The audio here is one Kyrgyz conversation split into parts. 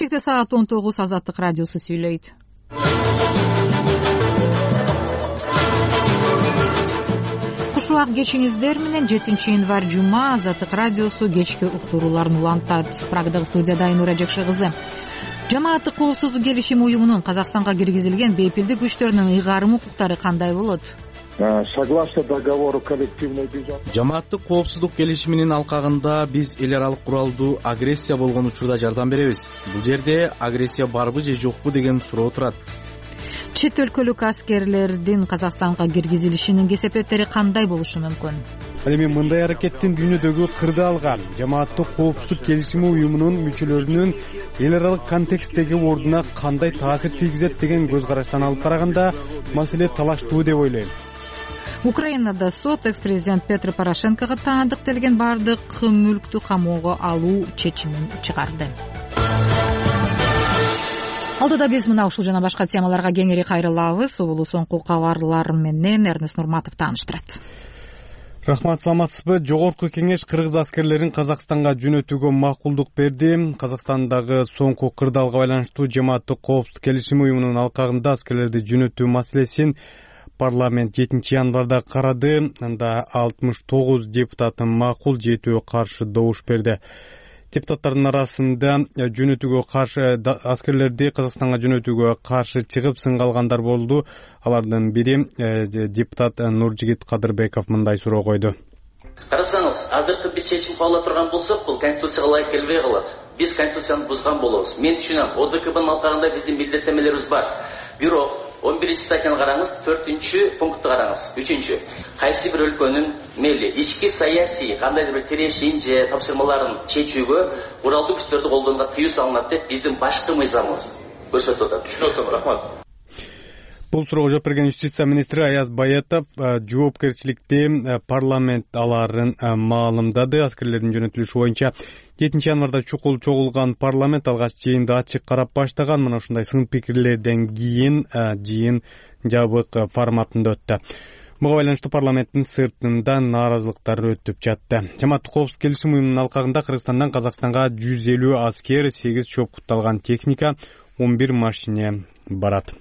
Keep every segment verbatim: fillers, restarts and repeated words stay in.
Бишкекте саат он тогуз. Азаттык радиосу сүйлөйт. Куш убак кечиңиздер менен жетинчи январь жума Азаттык радиосу кечки уктурууларын улантат. Прагдагы студияда Айнура Жакшы кызы. Жамааттык коопсуздук келишими уюмунун Казакстанга киргизилген бейпилдик күчтөрүнүн ыйгарым укуктары кандай болот? Согласно договору коллективной безопасности. Жамааттык коопсуздук келишиминин алкагында биз эл аралык куралдуу агрессия болгон учурда жардам беребиз. Бул жерде агрессия барбы же жокпу деген суроо турат. Чет өлкөлүк аскерлердин Казакстанга киргизилишинин кесепеттери кандай болушу мүмкүн? Ал эми мындай аракеттин дүйнөдөгү кырдаалга, жамааттык коопсуздук келишими уюмунун мүчөлөрүнүн эл аралык контексттеги ордуна кандай таасир тийгизет деген көз караштан алып караганда маселе талаштуу деп ойлойм. Украинада сот экс-президент Петро Порошенкого таандыкталган бардык мүлктү камоого алуу чечимин чыгарды. Алдыда биз мына ушул жана башка темаларга кеңири кайрылабыз. Убулу соңку кабарлар менен Эрнест Нурматов тааныштырат. Рахмат, саламатсызбы? Жогорку кеңеш кыргыз аскерлерин Казакстанга жөнөтүүгө макулдук берди. Казакстандагы соңку кырдаалга байланыштуу жамааттык коопсуздук келишими уюмунун алкагында аскерлерди жөнөтүү маселесин парламент жетинчи январда карады. Анда алтымыш тогуз депутаты макул, жетөө каршы добуш берди. Депутаттардын арасында жөнөтүүгө каршы аскерлерди Казакстанга жөнөтүүгө каршы чыгып сынга алгандар болду. Алардын бири депутат Нуржигит Кадырбеков мындай суроо койду. Карасаңыз, азыркы биз чечим кабыл ала турган болсок, бул конституцияга ылайык келбей калат. Биз конституцияны бузган болобуз. Мен түшүнөм, О Д К Б'нын алкагында биздин милдеттенмелерибиз бар. Бирок он биринчи статьяны караңыз, төртүнчү пунктты караңыз. Үчүнчү, кайсы бир өлкөнүн мейли ички саясий кандайдыр бир тирешин же тапшырмаларын чечүүгө куралдуу күчтөрдү колдонууга тыюу салынат деп биздин башкы мыйзамыбыз көрсөтүп атат. Түшүнүп атам, рахмат. Бул суроого жооп берген юстиция министри Аяз Баятов жоопкерчиликти парламент аларын маалымдады. Аскерлердин жөнөтүлүшү боюнча жетинчи январда чукул чогулган парламент алгач жыйынды ачык карап баштаган. Мына ушундай сын пикирлерден кийин жыйын жабык форматында өттү. Буга байланыштуу парламенттин сыртында нааразылыктар өтүп жатты. Жамааттык коопсуздук келишим уюмунун алкагында Кыргызстандан Казакстанга жүз элүү аскер, сегиз чоопкутталган техника, он бир машине барат.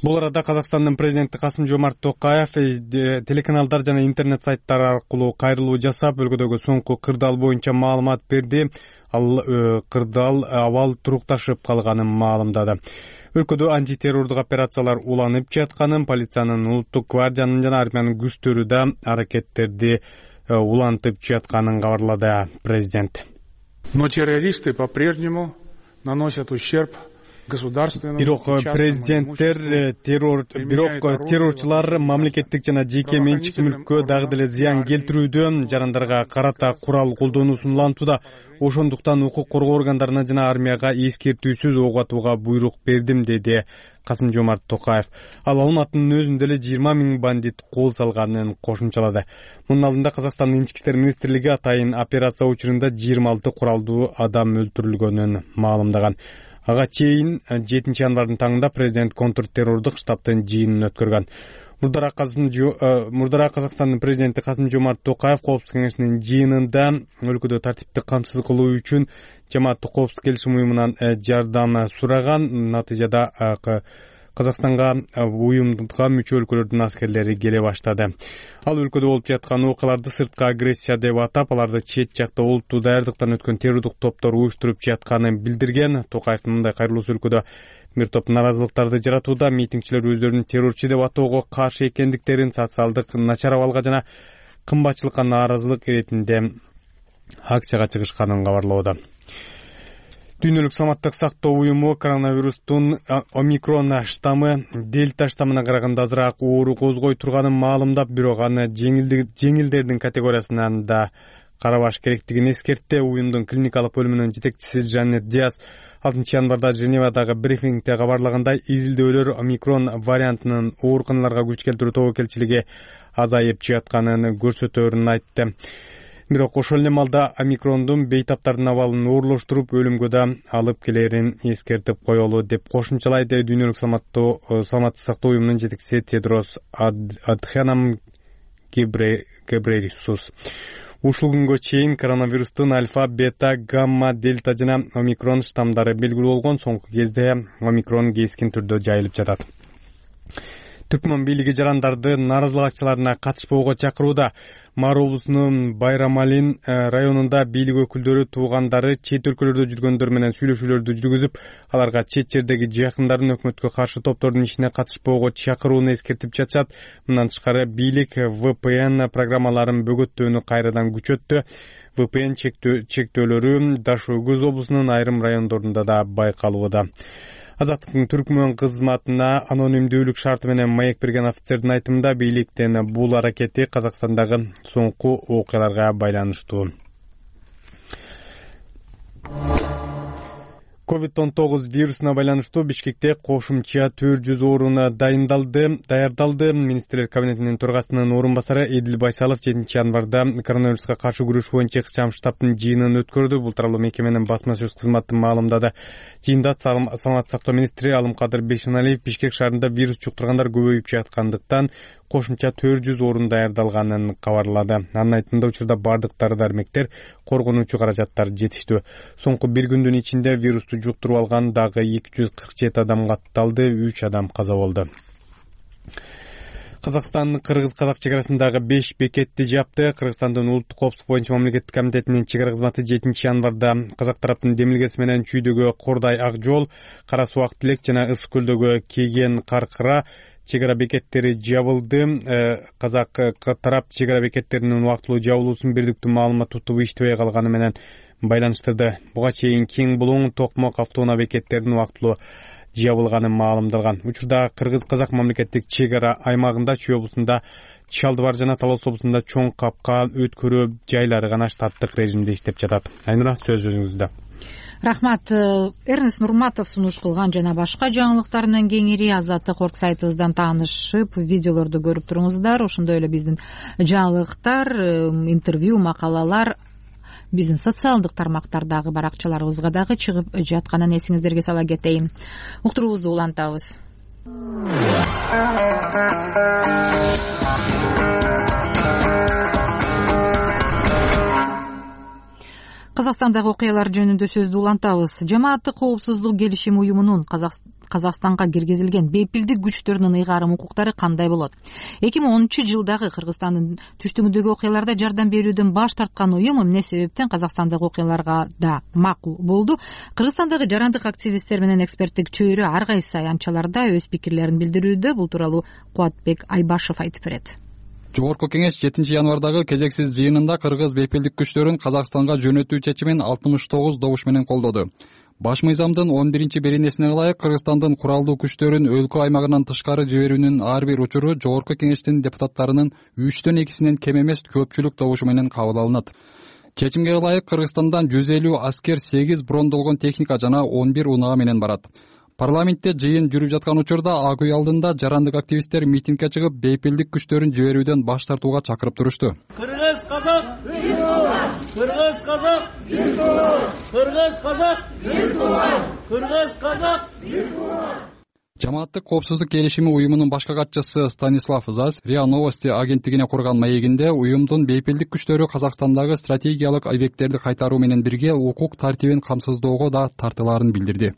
Бул арада Казакстандын президенти Касым-Жомарт Токаев телеканалдар жана интернет сайттар аркылуу кайрылуу жасап, өлкөдөгү соңку кырдаал боюнча маалымат берди. Ал кырдаал абал турукташып калганын маалымдады. Өлкөдө антитеррордук операциялар уланып жатканын, полициянын, улуттук гвардиянын жана армиянын күчтөрү да аракеттерди улантып жатканын кабарлады президент. Но террористы по-прежнему наносят ущерб. Бирок президенттер террор бирок террорчулар мамлекеттик жана жеке менчик мүлккө дагы деле зыян келтирүүдө, жарандарга карата курал колдонуусун улантууда. Ошондуктан укук коргоо органдарына жана армияга эскертүүсүз ок атууга буйрук бердим, деди Касым-Жомарт Токаев. Ал Алматынын өзүндө эле жыйырма миң бандит кол салганын кошумчалады. Мунун алдында Казакстандын ички иштер министрлиги атайын операция учурунда жыйырма алты куралдуу адам өлтүрүлгөнүн маалымдаган. Ага чейин жетинчи январдын таңында президент контртеррордук штабтын жыйынын өткөргөн. Мурдараак Казакстандын президенти Касым-Жомарт Токаев коопсуздук кеңешинин жыйынында өлкөдө тартипти камсыз кылуу үчүн жамааттык коопсуздук келишим уюмунан жардам сураган. Натыйжада Казакстанга уюмга мүчө өлкөлөрдүн аскерлери келе баштады. Ал өлкөдө болуп жаткан окуяларды сырткы агрессия деп атап, аларды чет жакта олуттуу даярдыктан өткөн террордук топтор уюштуруп жатканын билдирген. Токаевдин мындай кайрылуусу өлкөдө бир топ наразылыктарды жаратууда. Митингчилер өздөрүн террорчу деп атоого каршы экендиктерин, социалдык начар абалга жана кымбатчылыкка нааразылык иретинде акцияга чыгышканын кабарлоодо. Дүйнөлүк саламаттык сактоо уюму коронавирустун омикрон штаммы дельта штаммына караганда азыраак оору козгой турганын маалымдап, бирок аны жеңилдердин категориясынан да карабаш керектигин эскертти. Уюмдун клиникалык бөлүмүнүн жетекчиси Жанет Диас алтынчы январда Женевадагы брифингде кабарлагандай, изилдөөлөр омикрон вариантынын ооруканаларга күч келтирүү тобокелчилиги азайып жатканын көрсөтөөрүн айтты. Бирок ошол эле маалда омикрондун бейтаптардын абалын оорлоштуруп, өлүмгө да алып келерин эскертип коелу деп кошумчалайды Дүйнөлүк саламаттык сактоо уюмунун жетекчиси Тедрос Адханам Гебрейесус. Ушул күнгө чейин коронавирустун альфа, бета, гамма, дельта жана омикрон штамдары белгилүү болгон. Соңку кезде омикрон кескин түрдө жайылып жатат. Түркмөн бийлиги жарандарды нааразылык акцияларына катышпоого чакырууда. Мар облусунун Байрамалин районунда бийлик өкүлдөрү туугандары чет өлкөлөрдө жүргөндөр менен сүйлөшүүлөрдү жүргүзүп, аларга чет жердеги жакындарын өкмөткө каршы топтордун ишине катышпоого чакырууну эскертип жатышат. Мындан тышкары бийлик вэ пэ эн программаларын бөгөттөөнү кайрадан күчөттү. вэ пэ эн чектөөлөрү Даш-Өгүз облусунун айрым райондорунда да байкалууда. Азаттыктын Түркмөн кызматына анонимдүүлүк шарты менен маек берген офицердин айтымында бийликтин бул аракети Казакстандагы соңку окуяларга байланыштуу. ковид он тогуз вирусуна байланыштуу Бишкекте кошумча төрт жүз орун дайындалды, даярдалды. Министрлер кабинетинин төрагасынын орун басары Эдил Байсалов жетинчи январда коронавируска каршы күрөш боюнча ыкчам штабтын жыйынын өткөрдү. Бул тууралуу мекеменин басма сөз кызматы маалымдады. Жыйында саламаттык сактоо министри Алымкадыр Бейшеналиев Бишкек шаарында вирус жуктургандар көбөйүп жаткандыктан кошумча төрт жүз орун даярдалганын кабарлады. Анын айтымында учурда бардык дары-дармектер, коргонуучу каражаттар жетиштүү. Соңку бир күндүн ичинде вирусту жуктуруп алган дагы эки жүз кырк жети адам катталды, үч адам каза болду. Казакстан Кыргыз-Казак чек арасындагы беш бекетти жапты. Кыргызстандын улуттук коопсуздук боюнча мамлекеттик комитетинин чек ара кызматы жетинчи январда казак тараптын демилгеси менен Чүйдөгө Кордай Ак жол, Кара Суак Тилек жана Ысык көлдөгө Кеген Каркыра чек ара бекеттери жабылды. Казак тарап чек ара бекеттеринин убактылуу жабылуусун бирдиктүү маалымат тутуп иштебей калганы менен байланыштырды. Буга чейин Кең Булуң, Токмок автоунаа бекеттеринин убактылуу жабылганы маалымдалган. Учурда Кыргыз-Казак мамлекеттик чек ара аймагында Чүй облусунда, Чалдыбар жана Талас облусунда чоң капка өткөрүү жайлары гана штаттык режимде иштеп жатат. Айнура, сөз өзүңүздө. Рахмат. Эрнест Нурматов сунуш кылган жана башка жаңылыктар менен кеңири Азаттык орг сайтыбыздан таанышып, видеолорду көрүп туруңуздар. Ошондой эле биздин жаңылыктар, интервью, макалалар биздин социалдык тармактардагы баракчаларыбызга дагы чыгып жатканын эсиңиздерге сала кетейин. Уктуруубузду улантабыз. Казакстандагы окуялар жөнүндө сөздү улантабыз. Жамааттык коопсуздук келишим уюмунун Казакстанга киргизилген бейпилдик күчтөрүнүн ыйгарым укуктары кандай болот? эки миң онунчу жылдагы Кыргызстандын түштүгүндөгү окуяларда жардам берүүдөн баш тарткан уюм эмне себептен Казакстандагы окуяларга да макул болду? Кыргызстандагы жарандык активисттер менен эксперттик чөйрө ар кайсы аянтчаларда өз пикирлерин билдирүүдө. Бул тууралуу Кубатбек Айбашев айтып берет. Жогорку кеңеш жетинчи январдагы кезексиз жыйынында кыргыз бейпилдик күчтөрүн Казакстанга жөнөтүү чечимин алтымыш тогуз добуш менен колдоду. Баш мыйзамдын он биринчи беренесине ылайык Кыргызстандын куралдуу күчтөрүн өлкө аймагынан тышкары жиберүүнүн ар бир учуру жогорку кеңештин депутаттарынын үчтөн экисинен кем эмес көпчүлүк добушу менен кабыл алынат. Чечимге ылайык Кыргызстандан жүз элүү аскер, сегиз брондолгон техника жана он бир унаа менен барат. Парламентте жыйын жүрүп жаткан учурда ак үй алдында жарандык активисттер митингге чыгып, бейпилдик күчтөрүн жиберүүдөн баш тартууга чакырып турушту. Кыргыз казак бир тууган, Кыргыз казак бир тууган, Кыргыз казак бир тууган, Кыргыз казак бир тууган. Жамааттык коопсуздук келишими уюмунун башкы катчысы Станислав Зас РИА Новости агенттигине курган маегинде уюмдун бейпилдик күчтөрү Казакстандагы стратегиялык объекттерди кайтаруу менен бирге укук тартибин камсыздоого да тартылаарын билдирди.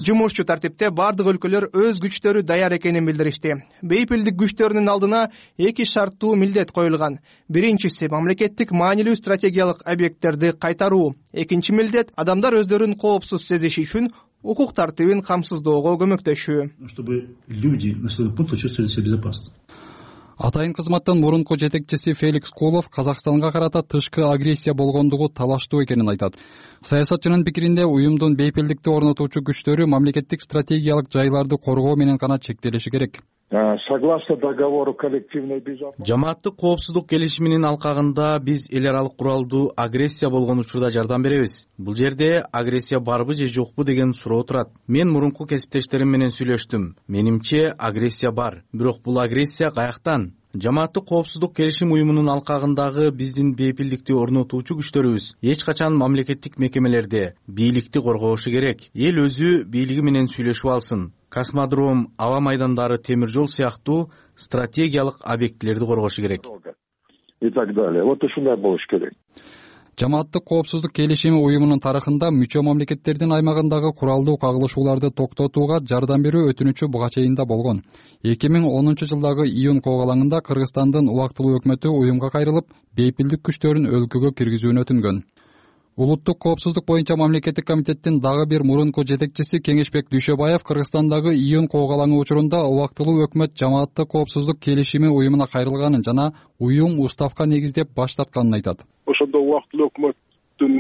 Жумушчу тартипте бардык өлкөлөр өз күчтөрү даяр экенин билдиришти. Бейпилдик күчтөрүнүн алдына эки шарттуу милдет коюлган. Биринчиси мамлекеттик маанилүү стратегиялык объекттерди кайтаруу. Экинчи милдет адамдар өздөрүн коопсуз сезиши үчүн укук тартибин камсыздоого көмөктөшүү. Чтобы люди на своем пункте чувствовали себя безопасно. Атайын кызматтын мурунку жетекчиси Феликс Кулов Казакстанга карата тышкы агрессия болгондугу талаштуу экенин айтат. Саясатчынын пикиринде уюмдун бейпилдикти орнотуучу күчтөрү мамлекеттик стратегиялык жайларды коргоо менен гана чектелиши керек. Согласно договору коллективной безопасности. Жамааттык коопсуздук келишиминин алкагында биз эл аралык куралдуу агрессия болгон учурда жардам беребиз. Бул жерде агрессия барбы же жокпу деген суроо турат. Мен мурунку кесиптештерим менен сүйлөштүм. Менимче агрессия бар. Бирок бул агрессия каяктан? Жамааттык коопсуздук келишим уюмунун алкагындагы биздин бейпилдикти орнотуучу күчтөрүбүз эч качан мамлекеттик мекемелерде бийликти коргошу керек. Эл өзү бийлиги менен сүйлөшүп алсын. Космодром, аба майдандары, темир жол сыяктуу стратегиялык объектилерди коргошу керек. и так далее. Вот ушундай болуш керек. Жамааттык коопсуздук келишими уюмунун тарыхында мүчө мамлекеттердин аймагындагы куралдуу кагылышууларды токтотууга жардам берүү өтүнүчү буга чейин да болгон. эки миң онунчу жылдагы июнь коогалаңында Кыргызстандын убактылуу өкмөтү уюмга кайрылып, бейпилдик күчтөрүн өлкөгө киргизүүнү өтүнгөн. Улуттук коопсуздук боюнча мамлекеттик комитеттин дагы бир мурунку жетекчиси Кеңешбек Дүйшөбаев Кыргызстандагы июнь коогалаңы учурунда убактылуу өкмөт жамааттык коопсуздук келишими уюмуна кайрылганын жана уюм уставка негиздеп баш тартканын айтат. Ошондо убактылуу өкмөттүн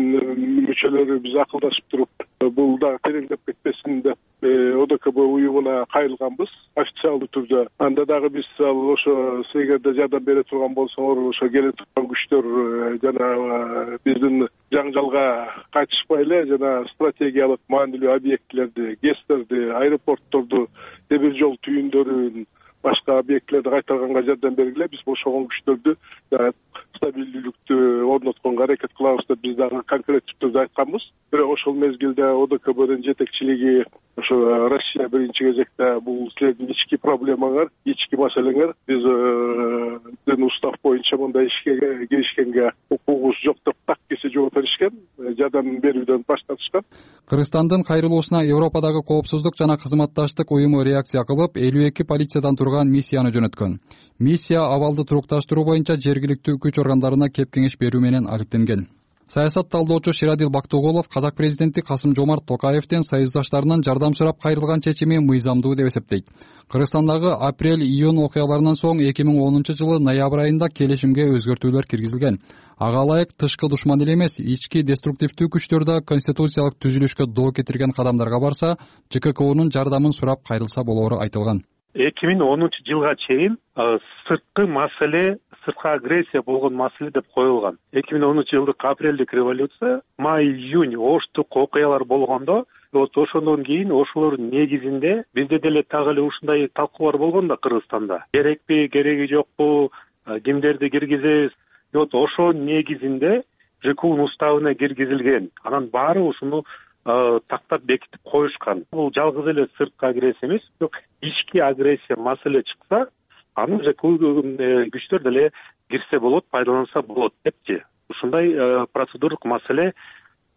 мүчөлөрү биз акылдашып туруп, бул дагы тереңдеп кетпесин деп о д к б уюмуна кайрылганбыз официалдуу түрдө. Анда дагы биз ал ошо эгерде жардам бере турган болсоңор, ошо келе турган күчтөр жана биздин жаңжалга кайтышпай эле жана стратегиялык маанилүү объектилерди, ГЭСтерди, аэропортторду, темир жол түйүндөрүн, башка объектилерди кайтарганга жардам бергиле. Биз бошогон күчтөрдү стабилдүүлүктү орнотконго аракет кылабыз деп биз дагы конкреттүү түрдө айтканбыз. Бирок ошол мезгилде о д к бдин жетекчилиги ошо Россия биринчи кезекте бул силердин ички проблемаңар, ички маселеңер, биздин устав боюнча мындай ишке киришкенге укугубуз жок деп так кесе жооп беришкен, жардам берүүдөн баш тартышкан. Кыргызстандын кайрылуусуна Европадагы коопсуздук жана кызматташтык уюму реакция кылып, элүү эки полициядан турган миссияны жөнөткөн. Миссия абалды турукташтыруу боюнча жергиликтүү күч органдарына кеп кеңеш берүү менен алектенген. Саясат талдоочу Ширадил Бактыгулов казак президенти Касым Жомарт Токаевдин союздаштарынан жардам сурап кайрылган чечими мыйзамдуу деп эсептейт. Кыргызстандагы апрель-июнь окуяларынан соң эки миң онунчу жылы ноябрь айында келишимге өзгөртүүлөр киргизилген. Ага ылайык тышкы душман эле эмес, ички деструктивдүү күчтөр да конституциялык түзүлүшкө доо кетирген кадамдарга барса, Ж К К Унун жардамын сурап кайрылса болоору айтылган. эки миң онунчу жылга чейин сырткы маселе, сырткы агрессия болгон маселе деп коюлган. эки миң онунчу жылдык апрелдик революция, май-июнь оштук окуялар болгондо, вот ошондон кийин ошолордун негизинде бизде деле так эле ушундай талкуулар болгон да Кыргызстанда. Керекпи, кереги жокпу, кимдерди киргизебиз? Вот ошо негизинде Ж К Унун уставына киргизилген. Анан баары ушуну тактап бекитип коюшкан. Бул жалгыз эле сырткы агрессия эмес, бирок ички агрессия маселе чыкса, аны Ж К Унун күчтөр деле кирсе болот, пайдаланса болот депчи. Ушундай процедуралык маселе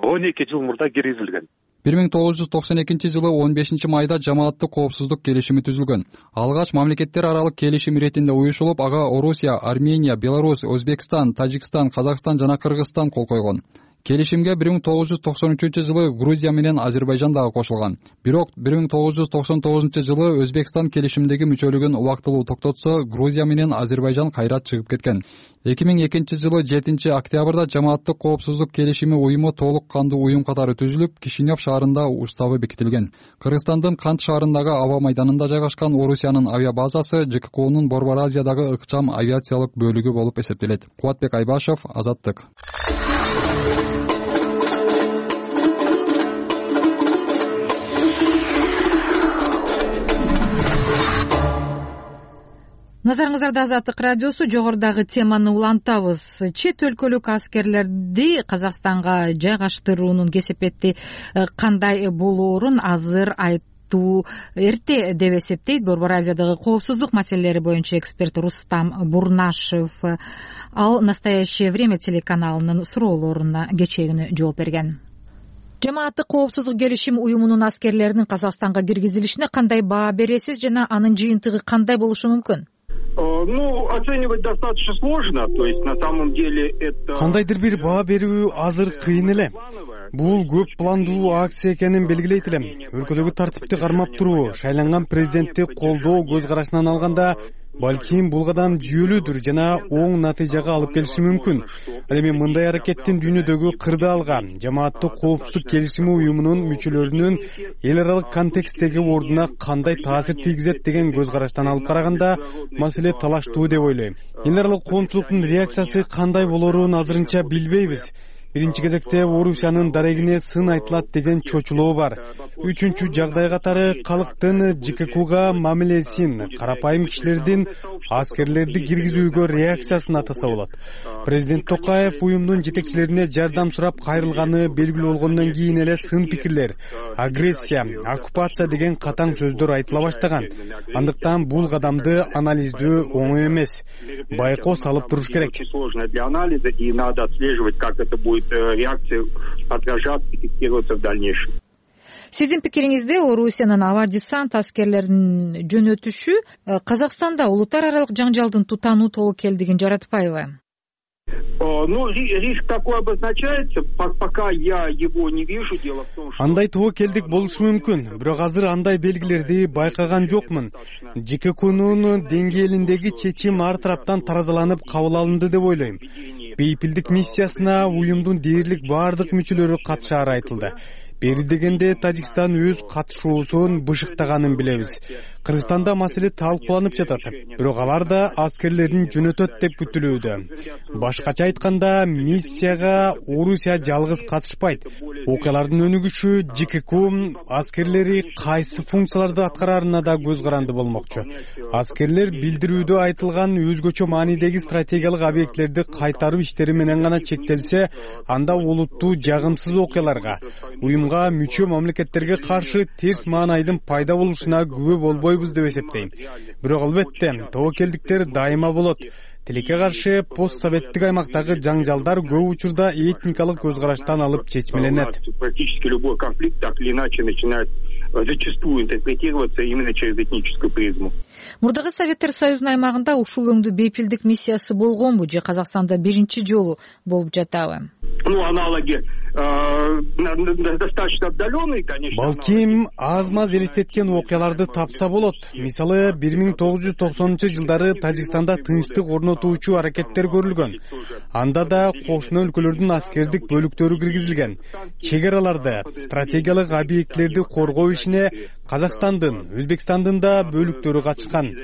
он эки жыл мурда киргизилген. бир миң тогуз жүз токсон экинчи жылы он бешинчи майда жамааттык коопсуздук келишими түзүлгөн. Алгач мамлекеттер аралык келишим иретинде уюшулуп, ага Орусия, Армения, Беларусь, Өзбекстан, Тажикстан, Казакстан жана Кыргызстан кол койгон. Келишимге бир миң тогуз жүз токсон үчүнчү жылы Грузия менен Азербайжан дагы кошулган. Бирок бир миң тогуз жүз токсон тогузунчу жылы Өзбекстан келишимдеги мүчөлүгүн убактылуу токтотсо, Грузия менен Азербайжан кайра чыгып кеткен. эки миң экинчи жылы жетинчи октябрда жамааттык коопсуздук келишими уюму толук кандуу уюм катары түзүлүп, Кишинев шаарында уставы бекитилген. Кыргызстандын Кант шаарындагы аба майданында жайгашкан Орусиянын авиабазасы Ж К К Унун Борбор Азиядагы ыкчам авиациялык бөлүгү болуп эсептелет. Кубатбек Айбашев, Азаттык. Назарыңыздарда Азаттык радиосу. Жогорудагы теманы улантабыз. Чет өлкөлүк аскерлерди Казакстанга жайгаштыруунун кесепети кандай болоорун азыр айтуу эрте деп эсептейт Борбор Азиядагы коопсуздук маселелери боюнча эксперт Рустам Бурнашев. Ал «Настоящее время» телеканалынын суроолоруна кечээ күнү жооп берген. Жамааттык коопсуздук келишим уюмунун аскерлеринин Казакстанга киргизилишине кандай баа бересиз жана анын жыйынтыгы кандай болушу мүмкүн? Ну, оценивать достаточно сложно, то есть на самом деле это... Кандайдыр бир баа берүү азыр кыйын эле. Бул көп пландуу акция экенин белгилейт элем. Өлкөдөгү тартипти кармап туруу, шайланган президентти колдоо көз карашынан алганда, балким бул кадам жүйөлүүдүр жана оң натыйжага алып келиши мүмкүн. Ал эми мындай аракеттин дүйнөдөгү кырдаалга, жамааттык коопсуздук келишими уюмунун мүчөлөрүнүн эл аралык контексттеги ордуна кандай таасир тийгизет деген көз караштан алып караганда, маселе талаштуу деп ойлойм. Эл аралык коомчулуктун реакциясы кандай болоорун азырынча билбейбиз. биринчи кезекте Орусиянын дарегине сын айтылат деген чочулоо бар. Үчүнчү жагдай катары калктын ЖККга мамилесин, карапайым кишилердин аскерлерди киргизүүгө реакциясын атаса болот. Президент Токаев уюмдун жетекчилерине жардам сурап кайрылганы белгилүү болгондон кийин эле сын пикирлер, агрессия, оккупация деген катаң сөздөр айтыла баштаган. Андыктан бул кадамды анализдөө оңой эмес. Байкоо салып туруш керек. Для анализа, и надо отслеживать, как это будет реакция отражаться и фиксироваться в дальнейшем. Сиздин пикириңизде Орусиянын аба десант аскерлерин жөнөтүшү Казакстанда улуттар аралык жаңжалдын тутануу тобокелдигин жаратпайбы? Ну, риск такой обозначается, пока я его не вижу. Дело в том, что андай тобокелдик болушу мүмкүн, бирок азыр андай белгилерди байкаган жокмун. ЖККнун деңгээлиндеги чечим ар тараптан таразаланып кабыл алынды деп ойлойм. Бейпилдик миссиясына уюмдун дээрлик баардык мүчөлөрү катышаары айтылды. Бери дегенде Тажикстан өз катышуусун бышыктаганын билебиз. Кыргызстанда маселе талкууланып жатат, бирок алар да аскерлерин жөнөтөт деп күтүлүүдө. Башкача айтканда, миссияга Орусия жалгыз катышпайт. Окуялардын өнүгүшү ЖКК аскерлери кайсы функцияларды аткарарына да көз каранды болмокчу. Аскерлер билдирүүдө айтылган өзгөчө маанидеги стратегиялык объектилерди кайтаруу иштери менен гана чектелсе, анда олуттуу жагымсыз окуяларга, уюмга мүчө мамлекеттерге каршы терс маанайдын пайда болушуна күбө болбойбуз деп эсептейм. Бирок албетте, тобокелдиктер дайыма болот. Тилекке каршы постсоветтик аймактагы жаңжалдар көп учурда этникалык көз караштан алып чечмеленет. Практически любой конфликт так или иначе начинает зачастую интерпретироваться именно через этническую призму. Мурдагы Советтер Союзунун аймагында ушул өңдүү бейпилдик миссиясы болгонбу же Казакстанда биринчи жолу болуп жатабы? Ну, аналоги достаточно отдаленный, конечно. Балким аз-маз элестеткен окуяларды тапса болот. Мисалы, бир миң тогуз жүз токсонунчу жылдары Тажикстанда тынчтык орнотуучу аракеттер көрүлгөн. Анда да кошуна өлкөлөрдүн аскердик бөлүктөрү киргизилген. Чек араларды, стратегиялык объектилерди коргоо ишине Казакстандын, Өзбекстандын да бөлүктөрү катышкан.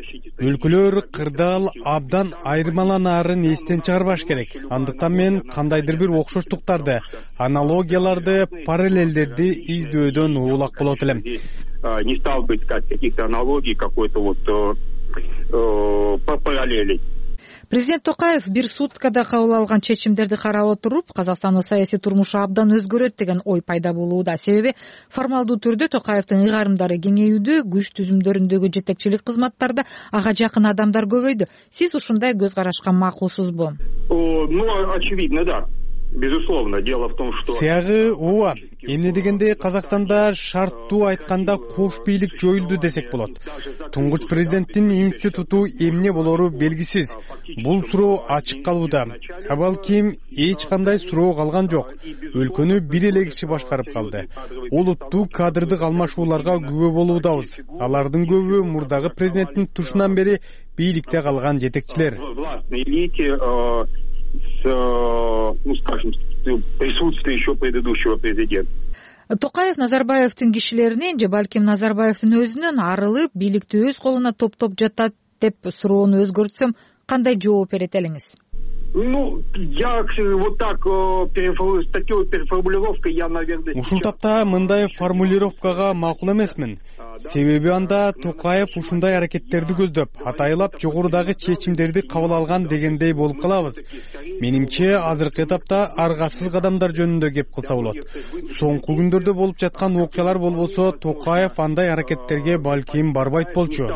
Өлкөлөр кырдаал абдан айырмаланаарын эстен чыгарбаш керек. Андыктан мен кандайдыр бир окшоштуктарды, аналогияларды, параллелдерди издөдөн улак болот элем. Не стал бы искать каких-то аналогий, какой-то вот параллелей. Президент Токаев бир суткада кабыл алган чечимдерди карап отуруп, Казакстандын саясий турмушу абдан өзгөрөт деген ой пайда болууда. Себеби формалдуу түрдө Токаевдин ыйгарымдары кеңейүүдө, күч түзүмдөрүндөгү жетекчилик кызматтарда ага жакын адамдар көбөйдү. Сиз ушундай көз карашка макулсузбу? Ну, очевидно, да. Безусловно, дело в том, что сиягы ооба. Эмне дегенде Казакстанда шарттуу айтканда кош бийлик жоюлду десек болот. Туңгуч президенттин институту эмне болору белгисиз. Бул суроо ачык калууда. А балким эч кандай суроо калган жок. Өлкөнү бир эле киши башкарып калды. Олуттуу кадрдык алмашууларга күбө болуудабыз. Алардын көбү мурдагы президенттин тушунан бери бийликте калган жетекчилер. С, ну, скажем, присутствие еще предыдущего президента. Токаев Назарбаевдин кишилеринен же балким Назарбаевдин өзүнөн арылып, бийликти өз колуна топтоп жатат деп суроону өзгөртсөм, кандай жооп берет элеңиз? Ну, я вот так с такой переформулировкой я, наверное... Ушул тапта мындай формулировкага макул эмесмин. Себеби анда Токаев ушундай аракеттерди көздөп, атайлап жогорудагы чечимдерди кабыл алган дегендей болуп калабыз. Менимче, азыркы этапта аргасыз кадамдар жөнүндө кеп кылса болот. Соңку күндөрдө болуп жаткан окуялар болбосо, Токаев андай аракеттерге балким барбайт болчу.